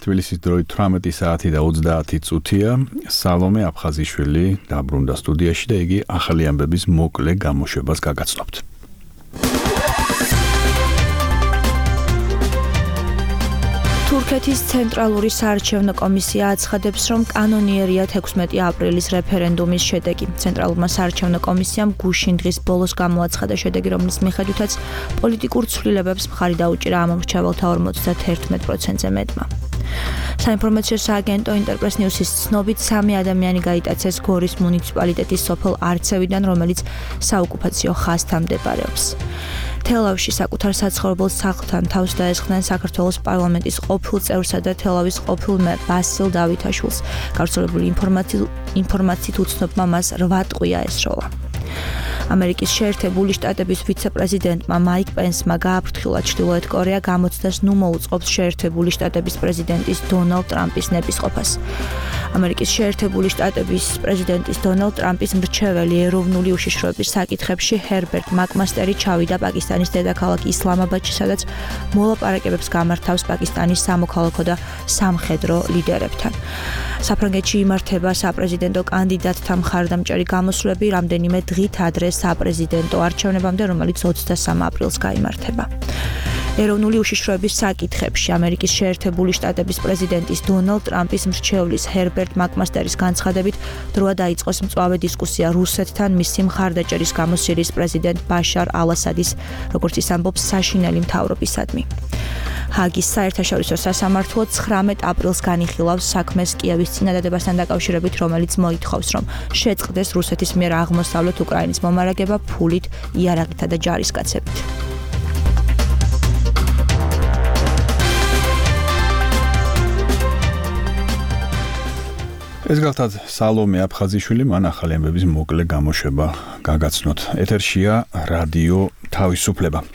თბილისის დროით 18 საათი და 30 წუთია. სალომე აფხაზიშვილი დაბრუნდა სტუდიაში და იგი ახალი ამბების მოკლე გამოშვებას გაგაცნობთ. თურქეთის ცენტრალური საარჩევნო კომისია აცხადებს, რომ კანონიერია 16 აპრილის რეფერენდუმის შედეგი. ცენტრალურმა საარჩევნო კომისიამ გუშინ დღის ბოლოს გამოაცხადა შედეგი, რომლის მიხედვითაც პოლიტიკურ ცვლილებებს მხარი დაუჭირა ამომრჩეველთა 51%-ზე მეტმა. საინფორმაციო სააგენტო ინტერპრეს ნიუსის ცნობით 3 ადამიანი გაიტაცეს გორის მუნიციპალიტეტის სოფელ არცევიდან, რომელიც საოკუპაციო ხაზთან მდებარეობს. თელავში საკუთარ საცხოვრებელ სახლთან თავს დაესხნენ საქართველოს პარლამენტის ყოფილ წევრსა და თელავის ყოფილ მერ ბასილ დავითაშვილს. გავრცელებული ინფორმაციით უცნობმა მას 8 ტყვია ესროლა. ამერიკის შეერთებული შტატების ვიცე-პრეზიდენტმა მაიკ პენსმა გააფრთხილა ჩრდილოეთ კორეა გამოცდას ნუ მოუწყობს შეერთებული შტატების პრეზიდენტის დონალდ ტრამპის ნებისყოფას. ამერიკის შეერთებული შტატების პრეზიდენტის დონალდ ტრამპის მრჩეველი ეროვნული უშიშროების საკითხებში ჰერბერტ მაკმასტერი ჩავიდა პაკისტანის დედაქალაქ ისლამაბადში, სადაც მოლაპარაკებებს გამართავს პაკისტანის სამოქალაქო და სამხედრო ლიდერებთან. საფრანგეთში იმართება საპრეზიდენტო კანდიდატთა მხარდამჭერი გამოსვლები რამდენიმე დღით ადრე საპრეზიდენტო არჩევნებამდე, რომელიც 23 აპრილს გაიმართება. ეროვნული უშიშროების საკითხებში ამერიკის შეერთებული შტატების პრეზიდენტის დონალდ ტრამპის მრჩევლის ჰერბერტ მაკმასტერის განცხადებით დროა დაიწყოს მწვავე დისკუსია რუსეთთან მისი მხარდაჭერის გამო სირიის პრეზიდენტ ბაშარ ალ-ასადის, როგორც ის ამბობს, საშინელი მთავრობისადმი. ჰაგის საერთაშორისო სასამართლო 19 აპრილს განიხილავს საქმეს კიევის წინადადებასთან დაკავშირებით, რომელიც მოითხოვს, რომ შეწყდეს რუსეთის მიერ აღმოსავლეთ უკრაინის მომარაგება ფულით, იარაღითა და ჯარისკაცებით. ეს გახლავთ სალომე აფხაზიშვილი, მან ახალი ამბების მოკლე გამოშვება გაგაცნოთ. ეთერშია რადიო თავისუფლება.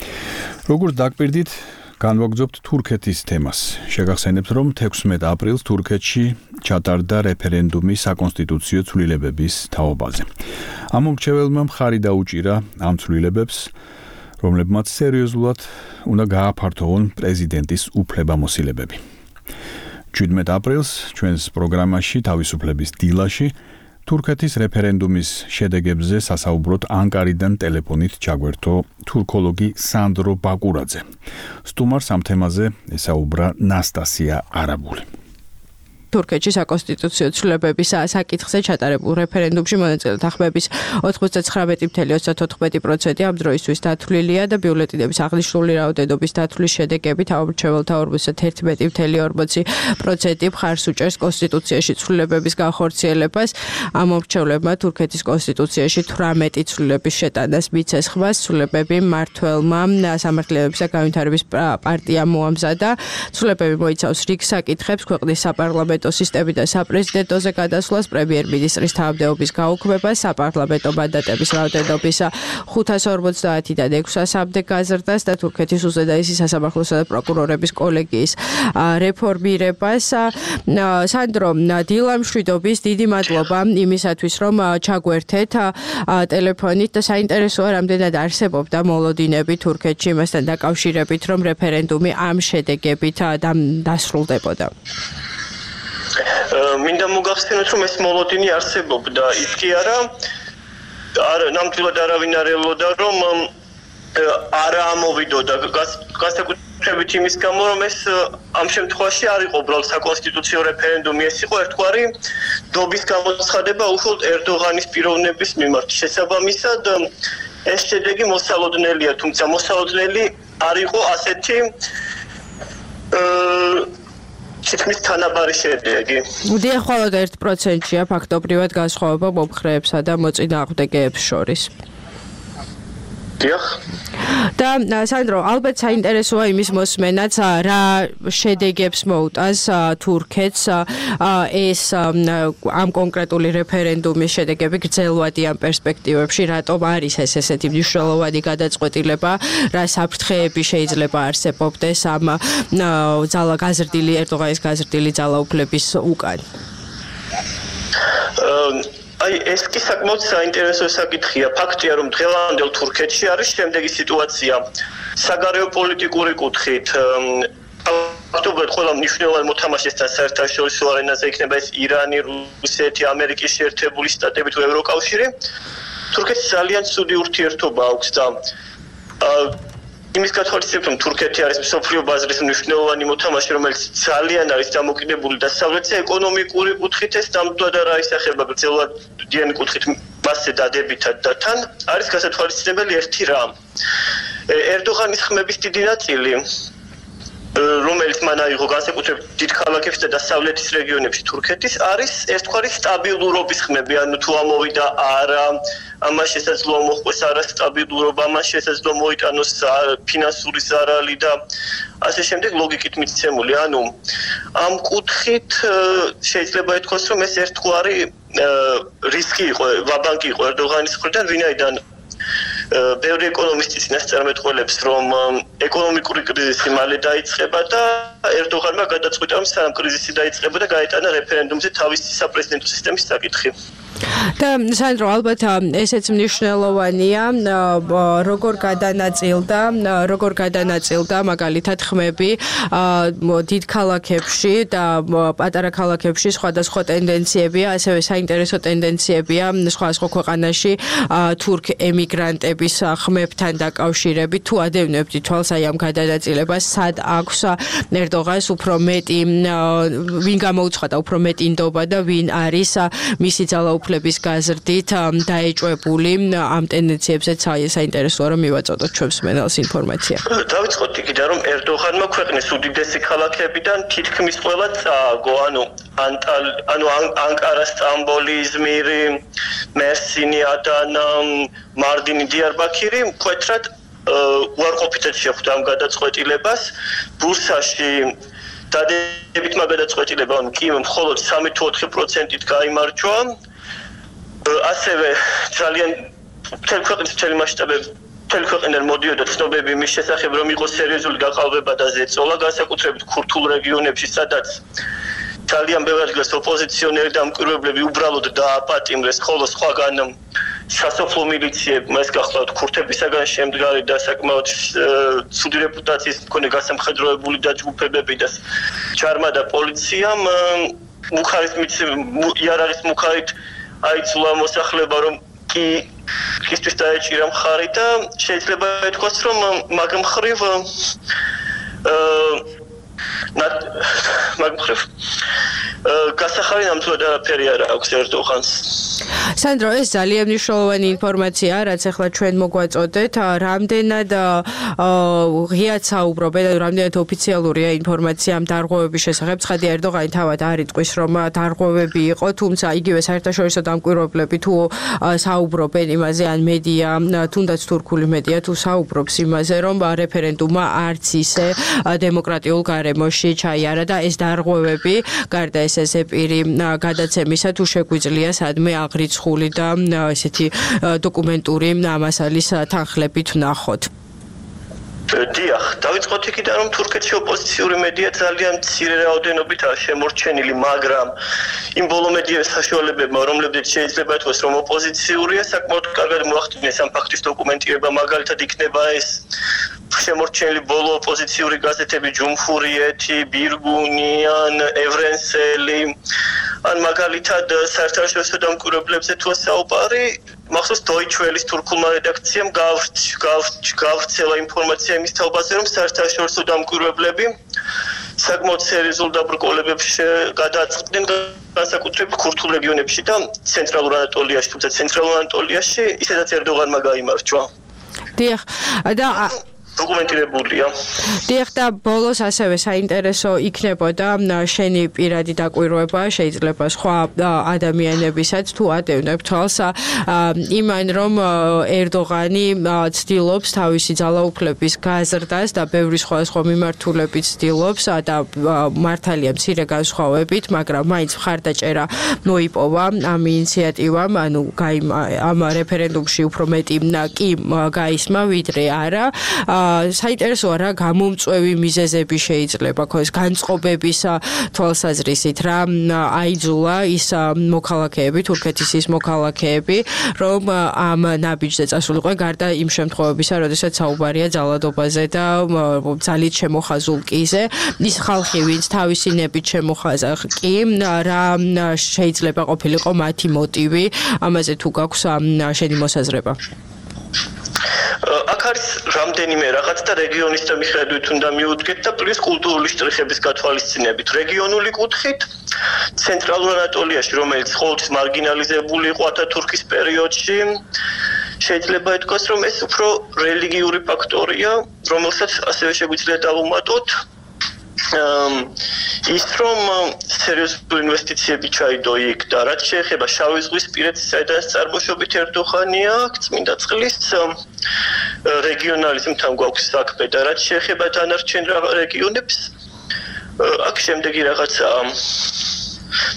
როგორც დაგპირდით, განვაგრძობთ თურქეთის თემას. შეგახსენებთ, რომ 16 აპრილს თურქეთში ჩატარდა რეფერენდუმი საკონსტიტუციო ცვლილებების თაობაზე. ამომრჩეველმა მხარი დაუჭირა ამ ცვლილებებს, რომლებმაც სერიოზულად უნდა გააფართოვონ პრეზიდენტის უფლებამოსილებები. 17 აპრილს ჩვენს პროგრამაში თავისუფლების დილაში თურქეთის რეფერენდუმის შედეგებზე სასაუბროთ ანკარიდან ტელეფონით ჩაგვერთო თურქოლოგი სანდრო ბაკურაძე. სტუმარს ამ თემაზე ესაუბრა ნასტასია არაბული. თურქეთში საკონსტიტუციო ცვლილებების საკითხზე ჩატარებულ რეფერენდუმში მონაწილეთა ხმების 99.34% ამ დროისთვის დათვლილია და ბიულეტენების აღნიშნული რაოდენობის დათვლის შედეგებით ამომრჩეველთა 51.40% მხარს უჭერს კონსტიტუციაში ცვლილებების განხორციელებას. ამომრჩევლებმა თურქეთის კონსტიტუციაში 18 ცვლილების შეტანას მიცეს ხმას. ცვლილებები მმართველმა სამართლებისა განვითარების პარტიამ მოამზადა. ცვლილებები მოიცავს რიგ საკითხებს, ქვეყნის საპარლამენტო სისტემი და საპრეზიდენტოზე გადასვლას, პრემიერ-მინისტრის თავმდეობის გაუქმებას, საპარლამენტო მანდატების რაოდენობის 550-დან 600-მდე გაზრდას და თურქეთის უზენაესი სასამართლოსა და პროკურორების კოლეგიის რეფორმირებას. სანდრო, დილამშვიდობის, დიდი მადლობა იმისათვის, რომ ჩაგვერთეთ ტელეფონით და საინტერესოა, რამდენად არსებობდა მოლოდინები თურქეთში იმასთან დაკავშირებით, რომ რეფერენდუმი ამ შედეგებით დასრულდებოდა. მინდა მოგახსენოთ, რომ ეს მოლოდინი არსებობდა, ის კი არა ნამდვილად არავინ არ ელოდა, რომ არა ამოვიდოდა განსაკუთრებით იმის გამო, რომ ეს ამ შემთხვევაში არ იყო უბრალოდ საკონსტიტუციო რეფერენდუმი, ეს იყო ერთგვარი დობის გამოცხადება უხოლოდ ერდოღანის პიროვნების მიმართ. შესაბამისად, ეს შედეგი მოსალოდნელია, თუმცა მოსალოდნელი არ იყო ასეთი თითქმის თანაბარი შედეგი. დიახ, მხოლოდ 1%-ია ფაქტობრივად განსხვავება მომხრეებსა და მოწინააღმდეგეებს შორის. დიახ. და სანდრო, ალბათ საინტერესოა იმის მოსმენაც, რა შედეგებს მოუტანს თურქეთს ეს ამ კონკრეტული რეფერენდუმის შედეგები გრძელვადიან პერსპექტივებში, რატომ არის ეს ესეთი მნიშვნელოვანი გადაწყვეტილება, რა საფრთხეები შეიძლება არსებობდეს ამ ერდოღანის გაზრდილი ძალაუფლების უკან? აი ეს კი საკმაოდ საინტერესო საკითხია. ფაქტია, რომ დღევანდელ თურქეთში არის შემდეგი სიტუაცია. საგარეო პოლიტიკური კუთხით ფაქტობრივად ყველა მნიშვნელოვანი მოთამაშესთან საერთაშორისო არენაზე იქნება ეს ირანი, რუსეთი, ამერიკის შეერთებული შტატები თუ ევროკავშირი. თურქეთს ძალიან ცუდი ურთიერთობა აქვს და იმის გათვალისწინებით, რომ თურქეთი არის მსოფლიო ბაზრის მნიშვნელოვანი მოთამაშე, რომელიც ძალიან არის დამოკიდებული დასავლეთზე, ეკონომიკური კუთხით ეს ნამდვილად არ აისახება გრძელვადიანი კუთხით მასზე დადებითად და თან არის გასათვალისწინებელი ერთი რამ. ერდოღანის ხმების დიდი ნაწილი, რომელიც მან აიღო განსაკუთრებით დიდ ქალაქებში და დასავლეთის რეგიონებში თურქეთის, არის ერთგვარი სტაბილურობის ხმები, ანუ თუ ამოვიდა არა, ამას შესაძლოა მოხდეს არასტაბილურობა, ამას შესაძლოა მოიტანოს ფინანსური ზარალი და ასე შემდეგ ლოგიკით მიცემული. ანუ ამ კუთხით შეიძლება ითქვას, რომ ეს ერთგვარი რისკი იყო, ვაბანკი იყო ერდოღანის მხრიდან, ვინაიდან ბევრი ეკონომისტი წინასწარმეტყველებს, რომ ეკონომიკური კრიზისი მალე დაიწყება და ერდოღანმა გადაწყვიტა, რომ სანამ კრიზისი დაიწყება და გაეტანა რეფერენდუმზე თავისი საპრეზიდენტო სისტემის საკითხი. და სანდრო, ალბათ ესეც მნიშვნელოვანია, როგორ გადანაწილდა მაგალითად ხმები დიდ ქალაქებში და პატარა ქალაქებში სხვადასხვა ტენდენციებია, ასევე საინტერესო ტენდენციებია სხვადასხვა ქვეყანაში თურქ ემიგრანტების ხმებთან დაკავშირებით. თუ ადევნებთ თვალს აი ამ გადანაწილებას, სად აქვს ერდოღანს უფრო მეტი, ვინ გამოუცხადა უფრო მეტი ნდობა და ვინ არის მისი ძალაუფლების გაზრდით დაეჭვებული ამ ტენდენციებზეც საინტერესოა რომ მივაწოდოთ ჩვენს მენელს ინფორმაცია. დავიწყოთ იქიდან, რომ ერდოღანმა ქვეყნის უდიდესი ქალაქებიდან თითქმის ყველა წააგო, ანუ ანკარა, სტამბოლი, იზმირი, მერსინი, ადანა, მარდინი, დიარბაქირი მკვეთრად უარყოფითად შეხვდა ამ გადაწყვეტილებას. ბურსაში დადებითმა გადაწყვეტილებამ კი მხოლოდ 3-4%-ით გაიმარჯვა. ასევე ძალიან მთელი ქვეყნის მთელი მასშტაბებით მთელი ქვეყნიდან მოდიოდა ცნობები იმის შესახებ, რომ იყო სერიოზული გაყალბება და ზეწოლა, განსაკუთრებით ქურთულ რეგიონებში, სადაც ძალიან ბევრი ადგილას ოპოზიციონერი და მკვირვებლები უბრალოდ დააპატიმრეს, ხოლო სხვაგან სასოფლო მილიციებმა, ეს გახლავთ ქურთებისაგან შემდგარი და საკმაოდ ცუდი რეპუტაციის მქონე გასამხედროებული დაჯგუფებები და ჯარმა და პოლიციამ იარაღის მუხარით აიძულა მოსახლეობა, რომ ისთვის დაეჭირა მხარი და შეიძლება ითქვას, რომ მაგ მხრივ გასახარი ნამდვილად არაფერი არ აქვს ერდოღანს. სანდრო, ეს ძალიან მნიშვნელოვანი ინფორმაცია, რაც ახლა ჩვენ მოგვაწოდეთ, რამდენად ღიად საუბრობენ, რამდენად ოფიციალურია ინფორმაცია ამ დარღვევების შესახებ. ცხადია, ერდოღანი თავად არ იტყვის, რომ დარღვევები იყო, თუმცა იგივე საერთაშორისო დამკვირვებლები თუ საუბრობენ იმაზე, ან მედია, თუნდაც თურქული მედია თუ საუბრობს იმაზე, რომ რეფერენდუმმა არც ისე დემოკრატიულ გარემოში ჩაიარა და ეს დარღვევები, გარდა ეს პირი გადაცემისა თუ შეგვიძლია სადმე აღრიცხული და ესეთი დოკუმენტური მასალის თანხლებით ვნახოთ. დიახ, დავიწყოთ იქიდან, რომ თურქეთში ოპოზიციური მედია ძალიან მცირე რაოდენობითაა შემორჩენილი, მაგრამ იმ ბოლო მედიების საშუალებებმა, რომლებიც შეიძლება ითქვას, რომ ოპოზიციურია, საკმაოდ კარგად მოახდინეს ამ ფაქტის დოკუმენტირება, მაგალითად იქნება ეს შემორჩენილი ბოლო ოპოზიციური გაზეთები ჯუმჰურიეთი, ბირგუნი, ან ევრენსელი, ან მაგალითად საერთაშორისო დამკვირვებლებზე თუ საუბარი, მახსოვს Deutsche Welle-ის თურქულმა რედაქციამ გავრცელა ინფორმაცია იმის თაობაზე, რომ საერთაშორისო დამკვირვებლები საკმაოდ სერიოზულ დაბრკოლებებში გადააწყდნენ განსაკუთრებით ქურთულ რეგიონებში და ცენტრალურ ანატოლიაში, თუმცა ცენტრალურ ანატოლიაში ისედაც ერდოღანმა გაიმარჯვა. დიახ, და დოკუმენტირებულია. დიახ, და ბოლოს ასევე საინტერესო იქნებოდა შენი პირადი დაკვირვება, შეიძლება სხვა ადამიანებისაც თუ ატევნებ თვალს იმან, რომ ერდოღანი ცდილობს თავისი ძალაუფლების გაზრდას და ბევრი სხვა მიმართულებით ცდილობს და მართალია მცირე განსხვავებით, მაგრამ მაინც მხარდაჭერა მოიპოვა ამ ინიციატივამ, ანუ ამ რეფერენდუმში უფრო მეტი კი გაისმა, ვიდრე არა. საინტერესოა რა გამომწვევი მიზეზები შეიძლება ხო ეს განწყობების თვალსაზრისით რა აიძულა ის მოქალაქეები, თურქეთის ის მოქალაქეები, რომ ამ ნაბიჯზე წასულიყვნენ გარდა იმ შემთხვევებისა, როდესაც საუბარია ძალადობაზე და ძალით შემოხაზულ კიზე. ის ხალხი, ვინც თავისი ნებით შემოხაზა კი, რა შეიძლება ყოფილიყო მათი მოტივი, ამაზე თუ გაქვს შენი მოსაზრება? აქ არის რამდენიმე რაღაც და რეგიონის და მიხედვით უნდა მიუდგეთ და პლუს კულტურული შტრიხების გათვალისწინებით. რეგიონული კუთხით ცენტრალურ ანატოლიაში, რომელიც ყოველთვის მარგინალიზებული იყო ათათურქის პერიოდში, შეიძლება ითქვას, რომ ეს უფრო რელიგიური ფაქტორია, რომელსაც ასევე შეგვიძლია დავუმატოთ. ის რომ სერიოზული ინვესტიციები ჩაიდო იქ და რაც შეეხება შავი ზღვის პირეთს, საიდანაც წარმოშობით ერდოღანია, წმინდა წყლის რეგიონალიზმთან გვაქვს საქმე და რაც შეეხება დანარჩენ რეგიონებს, აქ შემდეგი რაღაცა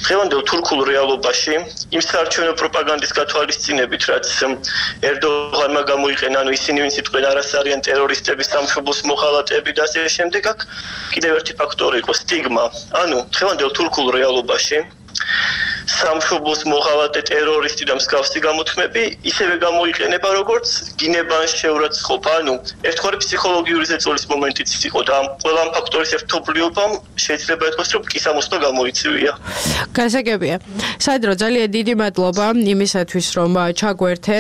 დღევანდელ თურქულ რეალობაში იმ საარჩევნო პროპაგანდის გათვალისწინებით, რაც ერდოღანმა გამოიყენა, ანუ ისინი ვინც იყვნენ არას არიან ტერორისტები, სამშობლოს მოხალატეები და ასე შემდეგ, აქ კიდევ ერთი ფაქტორი იყო სტიგმა. ანუ დღევანდელ თურქულ რეალობაში სამშობლოს მოხალატე ტერორისტი და მსგავსი გამოთქმები ისევე გამოიყენება, როგორც გინებან შეურაცხყოფა, ანუ ერთგვარი ფსიქოლოგიური ზეწოლის მომენტიც იყო და ყველა ამ ფაქტორის ერთობლიობამ შეიძლება ითქვას, რომ კისამოსვლა გამოიწვია. გასაგებია. სანდრო, ძალიან დიდი მადლობა იმისათვის, რომ ჩაგვერთე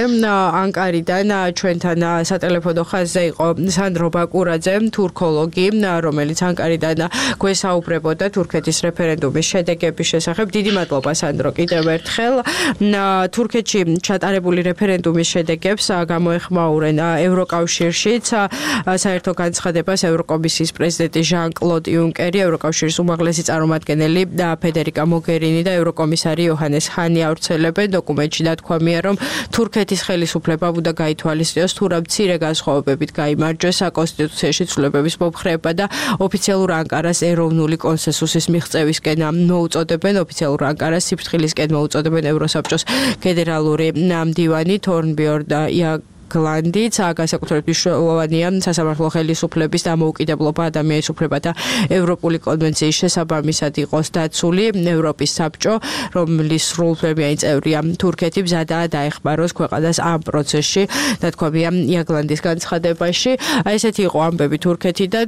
ანკარიდან ჩვენთან სატელეფონო ხაზზე იყო სანდრო ბაკურაძე, თურქოლოგი, რომელიც ანკარიდან გვესაუბრებოდა თურქეთის რეფერენდუმის შედეგების შესახებ. დიდი მადლობა სანდრო კიდევ ერთხელ. თურქეთში ჩატარებული რეფერენდუმის შედეგებს გამოეხმაურენ ევროკავშირშიც საერთო განცხადებას ევროკომისიის პრეზიდენტი ჟან-კლოდ იუნკერი, ევროკავშირის უმაღლესი წარმომადგენელი ფედერიკა მოგერინი და ევროკომისარი იოჰანეს ჰანი ავრცელებენ. დოკუმენტში დათქვამია, რომ თურქეთის ხელისუფლება უნდა გაითვალისწინოს თუ რა მცირე განსხვავებებით გაიმარჯვეს საკონსტიტუციაში ცვლილებების მომხრეება და ოფიციალურ ანკარას ეროვნული კონსენსუსის მიღწევისკენ მოუწოდებენ. ოფიციალურ ანკარას სიფრთხილისკენ მოუწოდებენ ევროსაბჭოს ფედერალური მდივანი თორნბიორნ გლანდიც, განსაკუთრებით მნიშვნელოვანია სასამართლო ხელისუფლების დამოუკიდებლობა, ადამიანის უფლებათა ევროპული კონვენციის შესაბამისად იყოს დაცული. ევროპის საბჭო, რომლის სრულუფლებიანი წევრია თურქეთი, მზადაა დაეხმაროს ქვეყანას ამ პროცესში, დათქვამია იაგლანდის განცხადებაში. ესეთი იყო ამბები თურქეთიდან.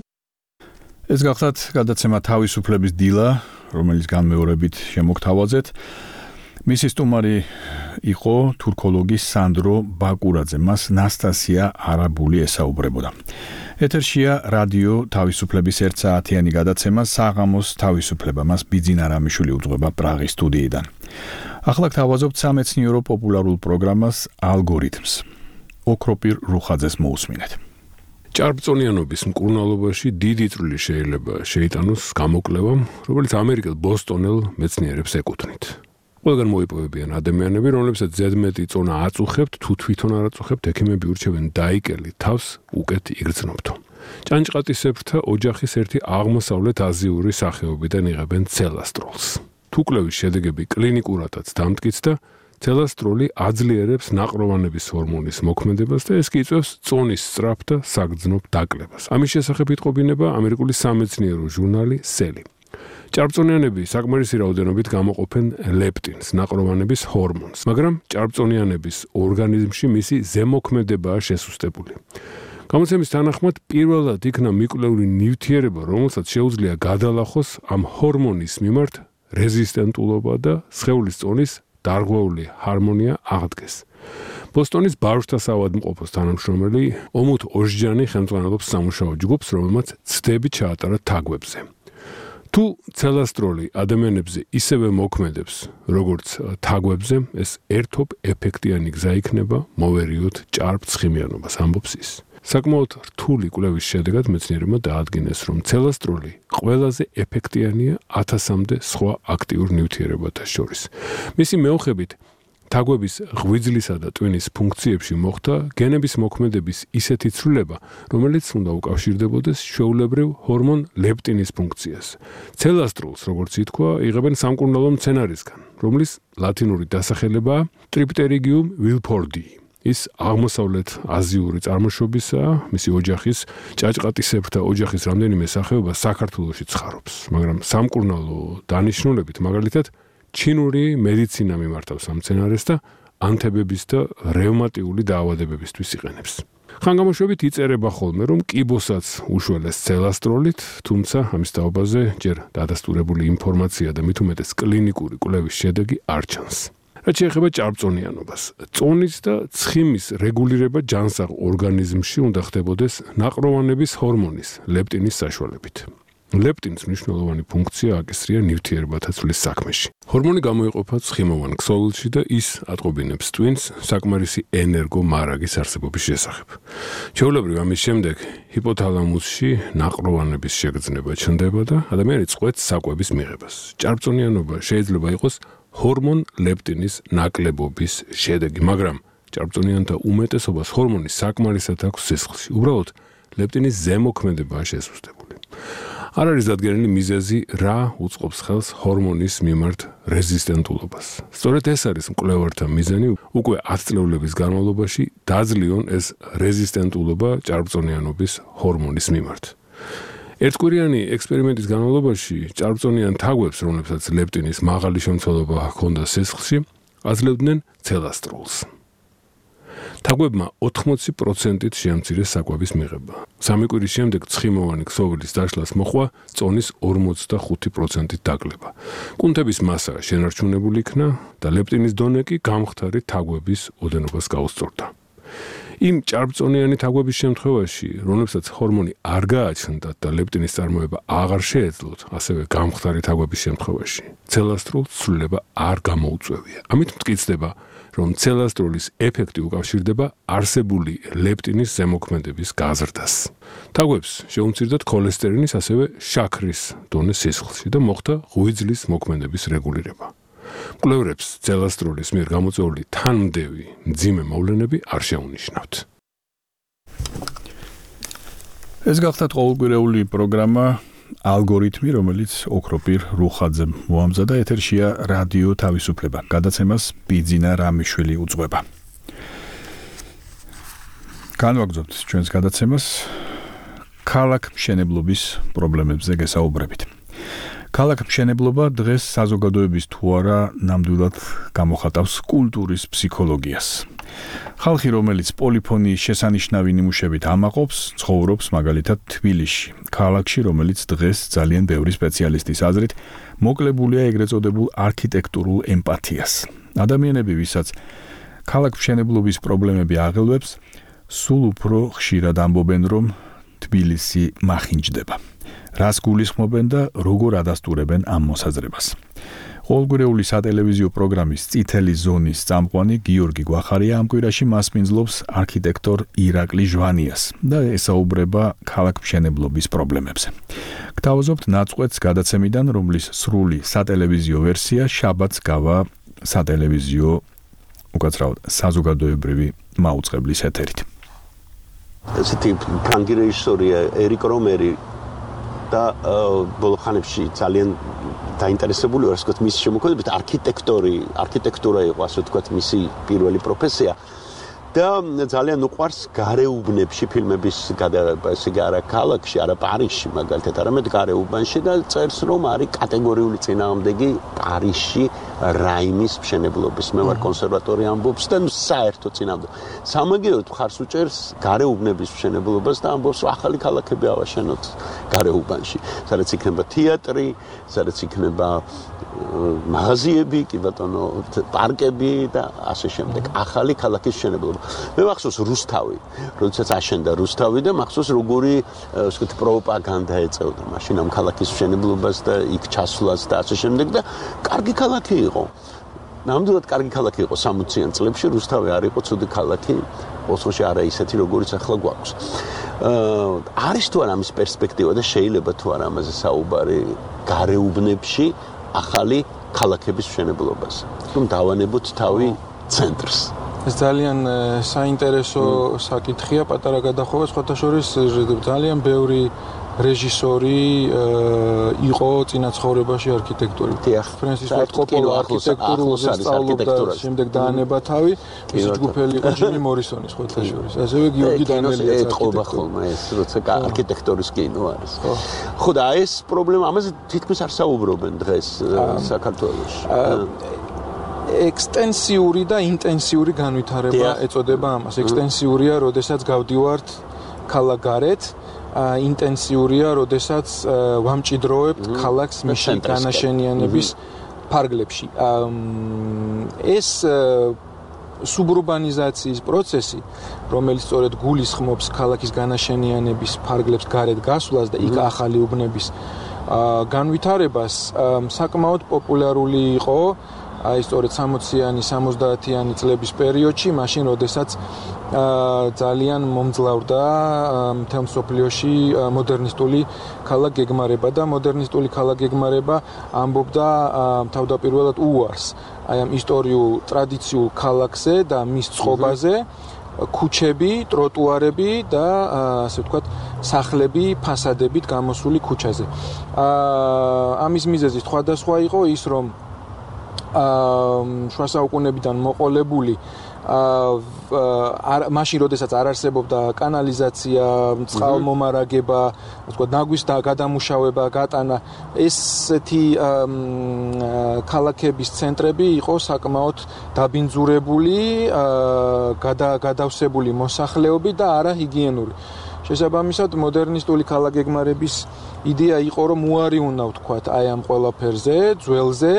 ეს გახლავთ გადაცემა თავისუფლების დილა, რომელიც განმეორებით შემოგთავაზეთ. მისი სტუმარი იყო თურქოლოგი სანდრო ბაკურაძე, მას ნასტასია არაბული ესაუბრებოდა. ეთერშია რადიო თავისუფლების 1 საათიანი გადაცემა საღამოს თავისუფლება, მას ბიძინა რამიშვილი უძღვება პრაღის სტუდიიდან. ახლა გთავაზობთ სამეცნიერო პოპულარულ პროგრამას ალგორითმს. ოქროპირ რუხაძეს მოусმინეთ. ჭარბწონიანობის მკურნალობაში დიდი წვლილი შეიძლება შეიტანოს გამოკვლევამ, რომელიც ამერიკელ ბოსტონელ მეცნიერებს ეკუთვნით. ყველგან მოიპოვებიან ადამიანები, რომლებსაც ზედმეტი წონა აწუხებთ, თუ თვითონ არ აწუხებთ, ექიმები ურჩევენ დაიკელი თავს უკეთ იგრძნობთო. ჭანჭყატისებრთა ოჯახის ერთი აღმოსავლეთ აზიური სახეობიდან იღებენ ცელასტროლს. თუ კვლევის შედეგები კლინიკურადაც დამტკიცდა, ცელასტროლი აძლიერებს ნაყროვანების ჰორმონის მოქმედებას და ეს კი იწვევს წონის სწრაფ და საგრძნობ დაკლებას. ამის შესახებ იტყობინება ამერიკული სამეცნიერო ჟურნალი Cell. ჭარბწონიანები საკმარისი რაოდენობით გამოყოფენ ლეპტინს, ნაყროვანების ჰორმონს, მაგრამ ჭარბწონიანების ორგანიზმში მისი ზემოქმედებაა შესუსტებული. გამოცემის თანახმად პირველად იქნა მიკვლეული ნივთიერება, რომელსაც შეუძლია გადალახოს ამ ჰორმონის მიმართ რეზისტენტულობა და სხეულის წონის დარღვეული ჰარმონია აღდგეს. ბოსტონის ბავშვთა საავადმყოფოს თანამშრომელი ომუთ ოჟჯანი ხელმძღვანელობს სამუშაო ჯგუფს, რომელმაც ცდები ჩაატარა თაგვებზე. თუ ცელასტროლი ადამიანებზე ისევე მოქმედებს, როგორც თაგვებზე, ეს ერთობ ეფექტიანი გზა იქნება მოვერიოთ ჭარბ ცხიმიანობას, ამბობს ის. საკმაოდ რთული კვლევის შედეგად მეცნიერებმა დაადგინეს, რომ ცელასტროლი ყველაზე ეფექტიანია 1000-მდე სხვა აქტიურ ნივთიერებათა შორის. მისი მეოხებით თაგვების ღვიძლისა და ტვინის ფუნქციებში მოხდა გენების მოქმედების ისეთი ცვლილება, რომელიც უნდა უკავშირდებოდეს ჩვეულებრივ ჰორმონ ლეპტინის ფუნქციას. ცელასტროლს, როგორც ითქვა, იღებენ სამკურნალო მცენარისგან, რომლის ლათინური დასახელებაა ტრიპტერიgium wilfordi. ის აღმოსავლეთ აზიური წარმოშობისაა, მისი ოჯახის ჭაჭყატისებრთა ოჯახის რამდენიმე სახეობა საქართველოში ცხარობს, მაგრამ სამკურნალო დანიშნულებით მაგალითად ჩინური მედიცინა მიმართავს ამ მცენარეს და ანთებების და რევმატიული დაავადებებისთვის იყენებს. ხანგამოშვებით იწერება ხოლმე, რომ კიბოსაც უშველეს ცელასტროლით, თუმცა ამის დაობაზე ჯერ დადასტურებული ინფორმაცია და მით უმეტეს კლინიკური კვლევის შედეგი არ ჩანს. რაც შეეხება ჭარბწონიანობას, წონის და ცხიმის რეგულირება ჯანსაღ ორგანიზმში უნდა ხდებოდეს ნაყროვანების ჰორმონის ლეპტინის საშუალებით. ლეპტინს მნიშვნელოვანი ფუნქცია აკისრია ნივთიერებათა ცვლის საქმეში. ჰორმონი გამოიყოფა ცხიმოვან ქსოვილში და ის ატყობინებს ტვინს საკმარისი ენერგო მარაგის არსებობის შესახებ. ჩვეულებრივ ამის შემდეგ ჰიპოთალამუსში ნაყროვანების შეგრძნება ჩნდება და ადამიანი წყვეტს საკვების მიღებას. ჭარბწონიანობა შეიძლება იყოს ჰორმონ ლეპტინის ნაკლებობის შედეგი, მაგრამ ჭარბწონიანთა უმეტესობას ჰორმონის საკმარისად აქვს სისხლში. უბრალოდ ლეპტინის ზემოქმედებაა შესუსტებული. არ არის დადგენილი მიზეზი, რა უწყობს ხელს ჰორმონის მიმართ რეზისტენტულობას. სწორედ ეს არის მკვლევართა მიზანი, უკვე 10 წლების განმავლობაში დაძლიონ ეს რეზისტენტულობა ჭარბწონიანობის ჰორმონის მიმართ. ერთკვირიანი ექსპერიმენტის განმავლობაში ჭარბწონიან თაგვებს, რომლებსაც ლეპტინის მაღალი შემცველობა ჰქონდა სისხლში, აძლევდნენ ცელასტროლს. თაგვებმა 80%-ით შეამცირეს საკვების მიღება. 3 კვირის შემდეგ ცხიმოვანი ქსოვილის დაშლას მოყვა წონის 45%-ით დაგლება. კუნთების მასა შენარჩუნებული იქნა და ლეპტინის დონე კი გამხდარი თაგვების ოდენობას გაუსწორდა. იმ ჭარბწონიანი თაგვების შემთხვევაში, რომლებსაც ჰორმონი არ გააჩნდათ და ლეპტინის წარმოება აღარ შეეძლოთ, ასევე გამხდარი თაგვების შემთხვევაში, ცელასტროლს ცვლილება არ გამოუწვევია. ამით მტკიცდება, რომ ცელასტროლის ეფექტი უკავშირდება არსებული ლეპტინის ზემოქმედების გაზრდას. თაგვებს შეუმცირდათ ქოლესტერინის, ასევე შაქრის დონე სისხლში და მოხდა ღვიძლის მოქმედების რეგულირება. მკვლევრებს ცელასტროლის მიერ გამოწვეული თანმდევი მძიმე მოვლენები არ შეუნიშნავთ. ეს გახდა ყოველკვირეული პროგრამა ალგორითმი, რომელიც ოქროპირ რუხაძემ მოამზადა. ეთერშია რადიო თავისუფლება. გადაცემას ბიძინა რამიშვილი უძღვება. განვაგრძობთ ჩვენს გადაცემას ქალაქ მშენებლობის პრობლემებზე გესაუბრებით. ქალაქ მშენებლობა დღეს საზოგადოების თუ არა ნამდვილად გამოხატავს კულტურის ფსიქოლოგიას. ხალხი, რომელიც პოლიფონიის შესანიშნავი ნიმუშებით ამაყობს, ცხოვრობს მაგალითად თბილისში, ქალაქში, რომელიც დღეს ძალიან ბევრი სპეციალისტის აზრით მოკლებულია ეგრეთ წოდებულ არქიტექტურულ ემპათიას. ადამიანები, ვისაც ქალაქ მშენებლობის პრობლემები აღელვებს, სულ უფრო ხშირად ამბობენ, რომ თბილისი მახინჯდება. რას გულისხმობენ და როგორ ადასტურებენ ამ მოსაზრებას. ყოველკვირეული სატელევიზიო პროგრამის წითელი ზონის წამყვანი გიორგი გვახარია ამ კვირაში მასპინძლობს არქიტექტორ ირაკლი ჟვანიას და ესაუბრება ქალაქ მშენებლობის პრობლემებზე. გთავაზობთ ნაწყვეტს გადაცემიდან, რომლის სრული სატელევიზიო ვერსია შაბათს გავა სატელევიზიო უკაცრავად საზოგადოებრივი მაუწყებლის ეთერით. ესეთი ფრანგი რეჟისორია ერიკ რომერი და ბოლო ხანებში ძალიან დაინტერესებული ვარ, ასე ვთქვათ, მისი შემოქმედებით არქიტექტურა იყო, ასე ვთქვათ, მისი პირველი პროფესია. და ძალიან უყვარს გარეუბნებში ფილმების გადაღება, ესე იგი არა ქალაქში, არა პარიზში, მაგალითად, არამედ გარეუბანში და წერს, რომ არის კატეგორიული წინააღმდეგი პარიზში რაიმის მშენებლობის. მე ვარ კონსერვატორია ამბობს და საერთო წინააღმდეგი. სამაგიეროდ მხარს უჭერს გარეუბნების მშენებლობას და ამბობს, რომ ახალი ქალაქები ავაშენოთ გარეუბანში, სადაც იქნება თეატრი, სადაც იქნება მაღაზიები, კი ბატონო, პარკები და ასე შემდეგ. ახალი ქალაქის მშენებლობა. მე მახსოვს რუსთავი, როდესაც აშენდა რუსთავი და მახსოვს როგორი, ასე ვთქვათ, პროპაგანდა ეწეოდა მაშინ ამ ქალაქის მშენებლობას და იქ ჩასვლას და ასე შემდეგ და კარგი ქალაქი იყო. ნამდვილად კარგი ქალაქი იყო 60-იან წლებში, რუსთავი არ იყო ცუდი ქალაქი. ოსლოში არა ისეთი როგორიც ახლა გვაქვს. არის თუ არა ამის პერსპექტივა და შეიძლება თუ არა ამაზე საუბარი გარეუბნებში ახალი ქალაქების მშენებლობაზე. რომ დავანებოთ თავი ცენტრს. ეს ძალიან საინტერესო საკითხია, პატარა გადახოვა, სხვათა შორის ძალიან ბევრი რეჟისორი იყო წინა ცხოვრებაში არქიტექტორი. ფრენსის ფორდ კოპოლა არქიტექტურაზე სწავლობდა, შემდეგ დაანება თავი, მისი ჯგუფელი იყო ჯიმი მორისონი სხვათა შორის. ასევე გიორგი დანელიაც ეთყობა ხოლმე ეს, როცა არქიტექტორის კინო არის. ხო და ეს პრობლემა, ამაზე თითქმის არ საუბრობენ დღეს საქართველოში. ექსტენსიური და ინტენსიური განვითარება ეწოდება ამას. ექსტენსიურია, როდესაც გავდივართ ქალაქგარეთ, ინტენსიურია, როდესაც ვამჭიდროებთ ქალაქს მისი განაშენიანების ფარგლებში. ეს სუბრუბანიზაციის პროცესი, რომელიც სწორედ გულისხმობს ქალაქის განაშენიანების ფარგლებს გარეთ გასვლას და იქ ახალი უბნების განვითარებას, საკმაოდ პოპულარული იყო აი სწორედ 60-იანი, 70-იანი წლების პერიოდში, მაშინ როდესაც ძალიან მომძლავრდა მთელ მსოფლიოში მოდერნისტული ქალაქგეგმარება და მოდერნისტული ქალაქგეგმარება ამბობდა თავდაპირველად უარს აი ამ ისტორიულ ტრადიციულ ქალაქზე და მის წყობაზე, ქუჩები, ტროტუარები და ასე ვთქვათ, სახლები ფასადებით გამოსული ქუჩაზე. ამის მიზეზი სხვადასხვა იყო ის, რომ შუა საუკუნეებიდან მოყოლებული მაშინ როდესაც არ არსებობდა კანალიზაცია, წყალმომარაგება, ასე ვთქვათ, ნაგვის გადამუშავება, გატანა, ესეთი ქალაქების ცენტრები იყო საკმაოდ დაბინძურებული, გადავსებული მოსახლეობით და არა ჰიგიენური. შესაბამისად, მოდერნისტული ქალაქგეგმარების იდეა იყო, რომ უარი უნდა ვთქვათ აი ამ ყველაფერზე, ძველზე,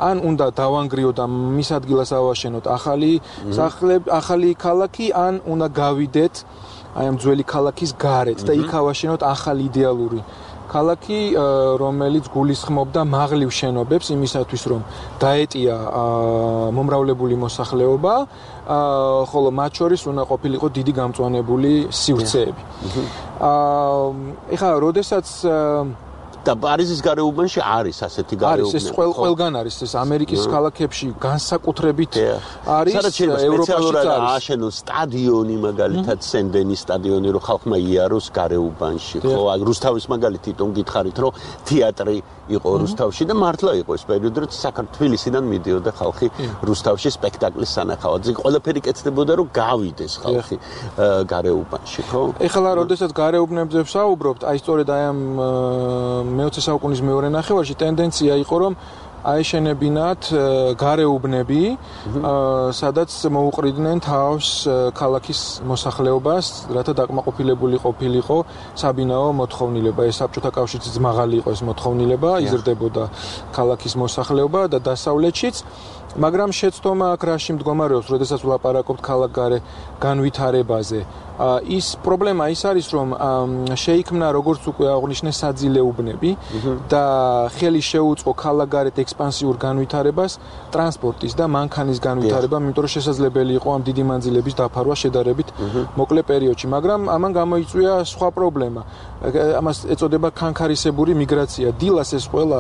ან უნდა დავანგრიოთ და მის ადგილას ავაშენოთ ახალი ქალაქი, ან უნდა გავიდეთ აი ამ ძველი ქალაქის გარეთ და იქ ავაშენოთ ახალი იდეალური ქალაქი, რომელიც გულისხმობდა მაღლივ შენობებს იმისათვის, რომ დაეტია მომრავლებული მოსახლეობა, ხოლო მათ შორის უნდა ყოფილიყო დიდი გამწვანებული სივრცეები. ეხლა, როდესაც და პარიზის გარეუბანში არის ასეთი გარეუბნები. არის, ეს ყველგან არის, ეს ამერიკის ქალაქებში განსაკუთრებით არის, ევროპაში არის. ააშენოს სტადიონი, მაგალითად, სენდენის სტადიონი, რომ ხალხმა იაროს გარეუბანში. ხო, რუსთავის მაგალითი თვითონ გითხარით, რომ თეატრი იყო რუსთავში და მართლა იყო ეს პერიოდი, რომ საქართველოსიდან მიდიოდა ხალხი რუსთავში სპექტაკლის სანახავად. ყველაფერი კეთდებოდა, რომ გავიდეს ხალხი გარეუბანში, ხო? ეხლა, როდესაც გარეუბნებზე ვსაუბრობთ, აი სწორედ აი ამ მე-20 საუკუნის მეორე ნახევარში ტენდენცია იყო, რომ აეშენებინათ გარეუბნები, სადაც მოუყრიდნენ თავს ქალაქის მოსახლეობას, რათა დაკმაყოფილებული ყოფილიყო საბინაო მოთხოვნილება. ეს საბჭოთა კავშირშიც მაღალი იყო ეს მოთხოვნილება, იზრდებოდა ქალაქის მოსახლეობა და დასავლეთშიც, მაგრამ შეცდომა აქ რაში მდგომარეობს, როდესაც ვლაპარაკობთ ქალაქგარე განვითარებაზე. ის პრობლემა ის არის, რომ შეიქმნა, როგორც უკვე აღნიშნე, საძილე უბნები და ხელი შეუწყო ქალაქგარეთ ექსპანსიურ განვითარებას ტრანსპორტის და მანქანის განვითარებამ, იმიტომ რომ შესაძლებელი იყო ამ დიდი მანძილების დაფარვა შედარებით მოკლე პერიოდში, მაგრამ ამან გამოიწვია სხვა პრობლემა. ამას ეწოდება ქანქარისებური მიგრაცია. დილას ეს ყველა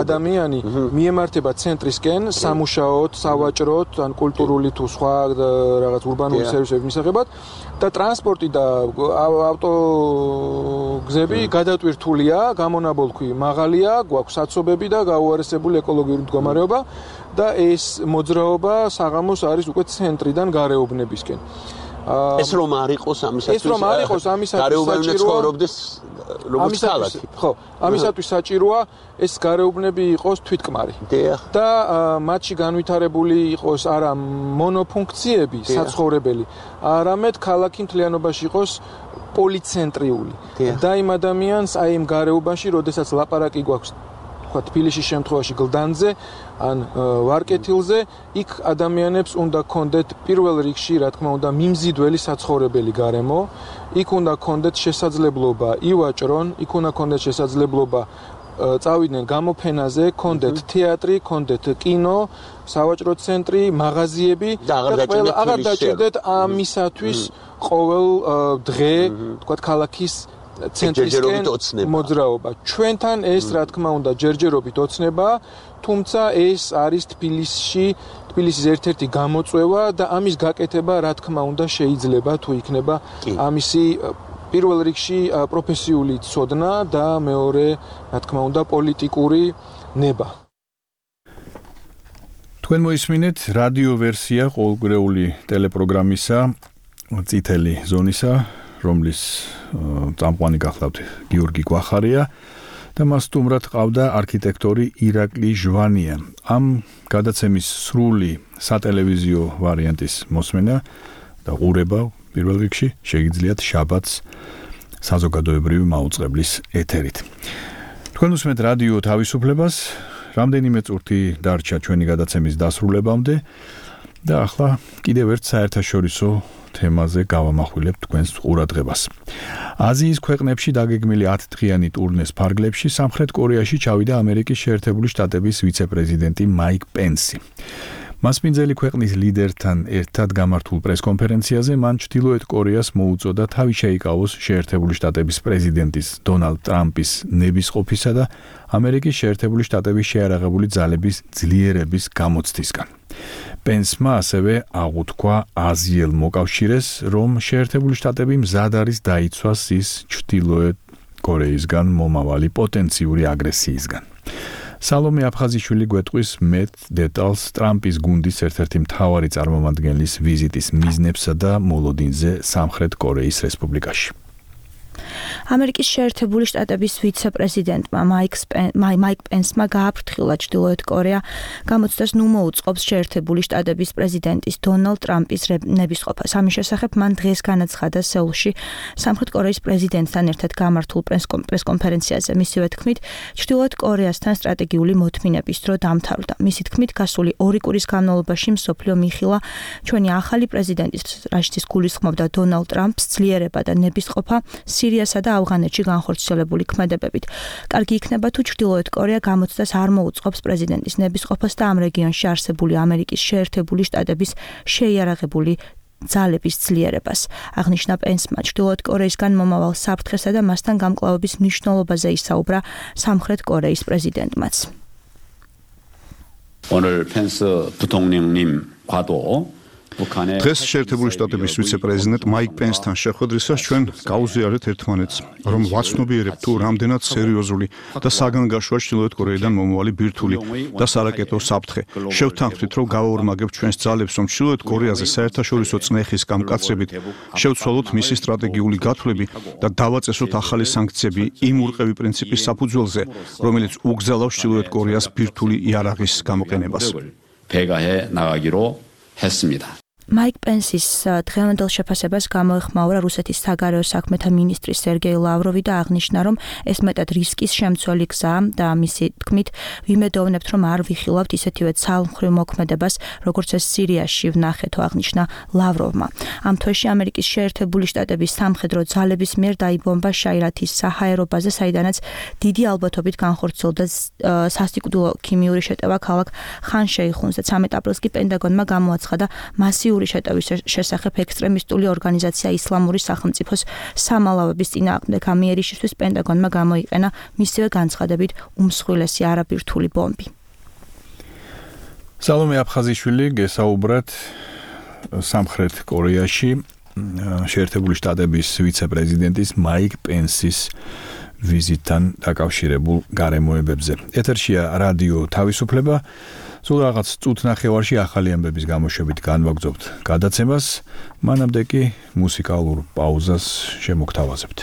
ადამიანი მიემართება ცენტრისკენ სამუშაოდ, სავაჭროდ, ან კულტურული თუ სხვა რაღაც ურბანული სერვისების მისაღებად და ტრანსპორტი და ავტოგზები გადატვირთულია, გამონაბოლქვი მაღალია, გვაქვს საცობები და გაუარესებული ეკოლოგიური მდგომარეობა და ეს მოძრაობა საღამოს არის უკვე ცენტრიდან გარეუბნებისკენ. ეს რომ არ იყოს ამისათვის გარეუბნები ცხოვრობდეს როგორც ქალაქი. ხო, ამისათვის საჭიროა ეს გარეუბნები იყოს თვითკმარი. და მათში განვითარებული იყოს არა მონოფუნქციები, საცხოვრებელი, არამედ ქალაქი მთლიანობაში იყოს პოლიცენტრიული. და იმ ადამიანს აი იმ გარეუბანში, როდესაც ლაპარაკი გვაქვს თბილისის შემთხვევაში გლდანზე ან ვარკეთილზე, იქ ადამიანებს უნდა კონდეთ პირველ რიგში, რა თქმა უნდა, მიმზიდველი საცხოვრებელი გარემო, იქ უნდა კონდეთ შესაძლებლობა ივაჭრონ, იქ უნდა კონდეთ შესაძლებლობა წავიდნენ გამოფენაზე, კონდეთ თეატრი, კონდეთ კინო, სავაჭრო ცენტრი, მაღაზიები და აღარ დაჭირდეთ ამისათვის ყოველ დღე, თქვათ, ქალაქის ცენტრისკენ მოძრაობა. ჩვენთან ეს, რა თქმა უნდა, ჯერჯერობით ოცნება, თუმცა ეს არის თბილისის ერთ-ერთი გამოწვევა და ამის გაკეთება, რა თქმა უნდა, შეიძლება თუ იქნება ამისი პირველ რიგში პროფესიული ცოდნა და მეორე, რა თქმა უნდა, პოლიტიკური ნება. თქვენ მოისმინეთ რადიო ვერსია ყოველგვარეული ტელეპროგრამისა წითელი ზონისა, რომლის წამყვანი გახლავთ გიორგი გვახარია და მას სტუმრად ყავდა არქიტექტორი ირაკლი ჟვანია. ამ გადაცემის სრული სატელევიზიო ვარიანტის მოსმენა და ყურება პირველ რიგში შეგიძლიათ შაბათს საზოგადოებრივი მაუწყებლის ეთერით. თქვენ უსმენთ რადიო თავისუფლებას, რამდენიმე წუთი დარჩა ჩვენი გადაცემის დასრულებამდე და ახლა კიდევ ერთ საერთაშორისო თემაზე გავამახვილებ თქვენს ყურადღებას. აზიის ქვეყნებში დაგეგმილი 10 დღიანი ტურნეს ფარგლებში სამხრეთ კორეაში ჩავიდა ამერიკის შეერთებული შტატების ვიცე-პრეზიდენტი მაიკ პენსი. მასპინძელი ქვეყნის ლიდერთან ერთად გამართულ პრესკონფერენციაზე მან ჩრდილოეთ კორეას მოუწოდა თავი შეიკავოს შეერთებული შტატების პრეზიდენტის დონალდ ტრამპის ნებისყოფისა და ამერიკის შეერთებული შტატების შეარაღებული ძალების ძლიერების გამოცდისგან. პენსმა ასევე აღუთქვა აზიელ მოკავშირეს, რომ შეერთებული შტატები მზად არის დაიცვას ის ჩრდილოეთ კორეისგან მომავალი პოტენციური აგრესიისგან. სალომე აფხაზიშვილი გვეტყვის მეტ დეტალს ტრამპის გუნდის ერთ-ერთი მთავარი წარმომადგენლის ვიზიტის მიზნებსა და მოლოდინზე სამხრეთ კორეის რესპუბლიკაში. ამერიკის შეერთებული შტატების ვიცე-პრეზიდენტმა მაიკ პენსმა გააფრთხილა ჩრდილოეთ კორეა გამოცდას ნუ მოუწყობს შეერთებული შტატების პრეზიდენტის დონალდ ტრამპის ნებისყოფას. ამის შესახებ მან დღეს განაცხადა სეულში სამხრეთ კორეის პრეზიდენტთან ერთად გამართულ პრესკონფერენციაზე. მისივე თქმით, ჩრდილოეთ კორეასთან სტრატეგიული მოთმინების დრო დამთავრდა. მისი თქმით, გასული 2 კვირის განმავლობაში მსოფლიო მიხილა ჩვენი ახალი პრეზიდენტის, რაშიც გულისხმობდა დონალდ ტრამპს ძლიერება და ნებისყოფა სირიასა და ავღანეთში განხორციელებული ქმედებებით. კარგი იქნება თუ ჩრდილოეთ კორეა გამოცდას არ მოუწყობს პრეზიდენტის ნებისყოფას და ამ რეგიონში არსებული ამერიკის შეერთებული შტატების შეიარაღებული ძალების ძლიერებას. აღნიშნა პენსმა ჩრდილოეთ კორეისგან მომავალ საფრთხესა და მასთან გამკლავების მნიშვნელობაზე ისაუბრა სამხრეთ კორეის პრეზიდენტმაც. 오늘 펜스 부통령님과도 დღეს შეერთებული შტატების ვიცე-პრეზიდენტ მაიკ პენსთან შეხვედრისას ჩვენ გაუზიარეთ ერთმანეთს, რომ ვაცნობიერებთ თუ რამდენად სერიოზული და საგანგაშოა ჩრდილოეთ კორეიდან მომავალი ბირთვული და სარაკეტო საფრთხე. შევთანხმდით, რომ გავაორმაგებთ ჩვენს ძალებს, რომ ჩრდილოეთ კორეაზე საერთაშორისო წნეხის გამკაცრებით შევცვალოთ მისი სტრატეგიული გათვლები და დავაწესოთ ახალი სანქციები იმ ურყევი პრინციპის საფუძველზე, რომელიც უგზავნავს ჩრდილოეთ კორეას ბირთვული იარაღის გამოყენებას. 배가해 나가기로 했습니다. მაიკ პენსის დღევანდელ შეფასებას გამოეხმაურა რუსეთის საგარეო საქმეთა მინისტრი სერგეი ლავროვი და აღნიშნა, რომ ეს მეტად რისკის შემცველი გზაა და მისი თქმით, ვიმედოვნებთ, რომ არ ვიხილავთ ისეთივე ცალმხრივ მოქმედებას, როგორც ეს სირიაში ვნახეთო, აღნიშნა ლავროვმა. ამ თვეში ამერიკის შეერთებული შტატების სამხედრო ძალების მიერ დაიბომბა შაირათის საჰაერო ბაზა, საიდანაც დიდი ალბათობით განხორციელდა სასიკვდილო ქიმიური შეტევა ქალაქ ხან-შეიხუნზე. 13 აპრილს კი პენტაგონმა გამოაცხადა მასიური შეტევის შესახებ ექსტრემისტული ორგანიზაცია ისლამური სახელმწიფოს სამალავების წინააღმდეგ. ამ იერიშისთვის პენტაგონმა გამოიყენა მისივე განცხადებით უმსხვილესი არაბირთული ბომბი. სალომე აფხაზიშვილი გესაუბრათ სამხრეთ კორეაში შეერთებული შტატების ვიცე-პრეზიდენტის მაიკ პენსის ვიზიტთან დაკავშირებულ გარემოებებზე. ეთერშია რადიო თავისუფლება. სულ რაღაც წუთნახევარში ახალი ამბების გამოშვებით განვაგრძობთ გადაცემას, მანამდე კი მუსიკალურ პაუზას შემოგთავაზებთ.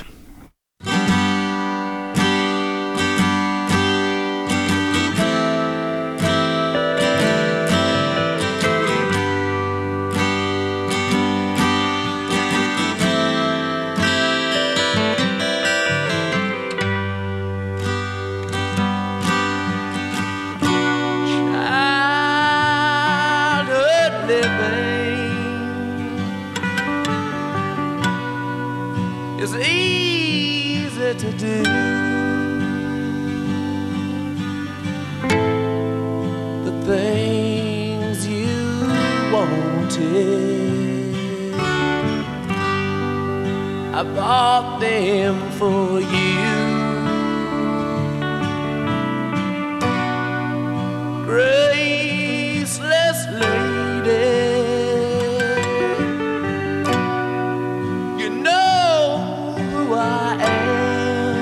It's easy to do. wanted. I bought them for you. Graceless lady, you know who I am.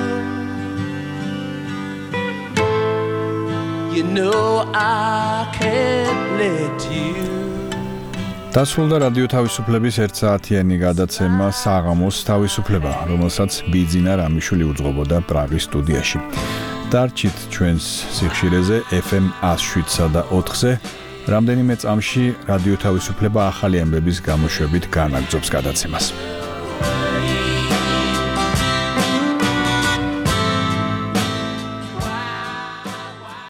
You know I can't let you. დასრულდა რადიო თავისუფლების 1 საათიანი გადაცემა საღამოს თავისუფლება, რომელსაც ბიძინა რამიშვილი უძღვებოდა პრაღის სტუდიაში. დარჩით ჩვენს სიხშირეზე FM 107.4-ზე. რამდენიმე წამში რადიო თავისუფლება ახალი ამბების გამოშვებით განაგრძობს გადაცემას.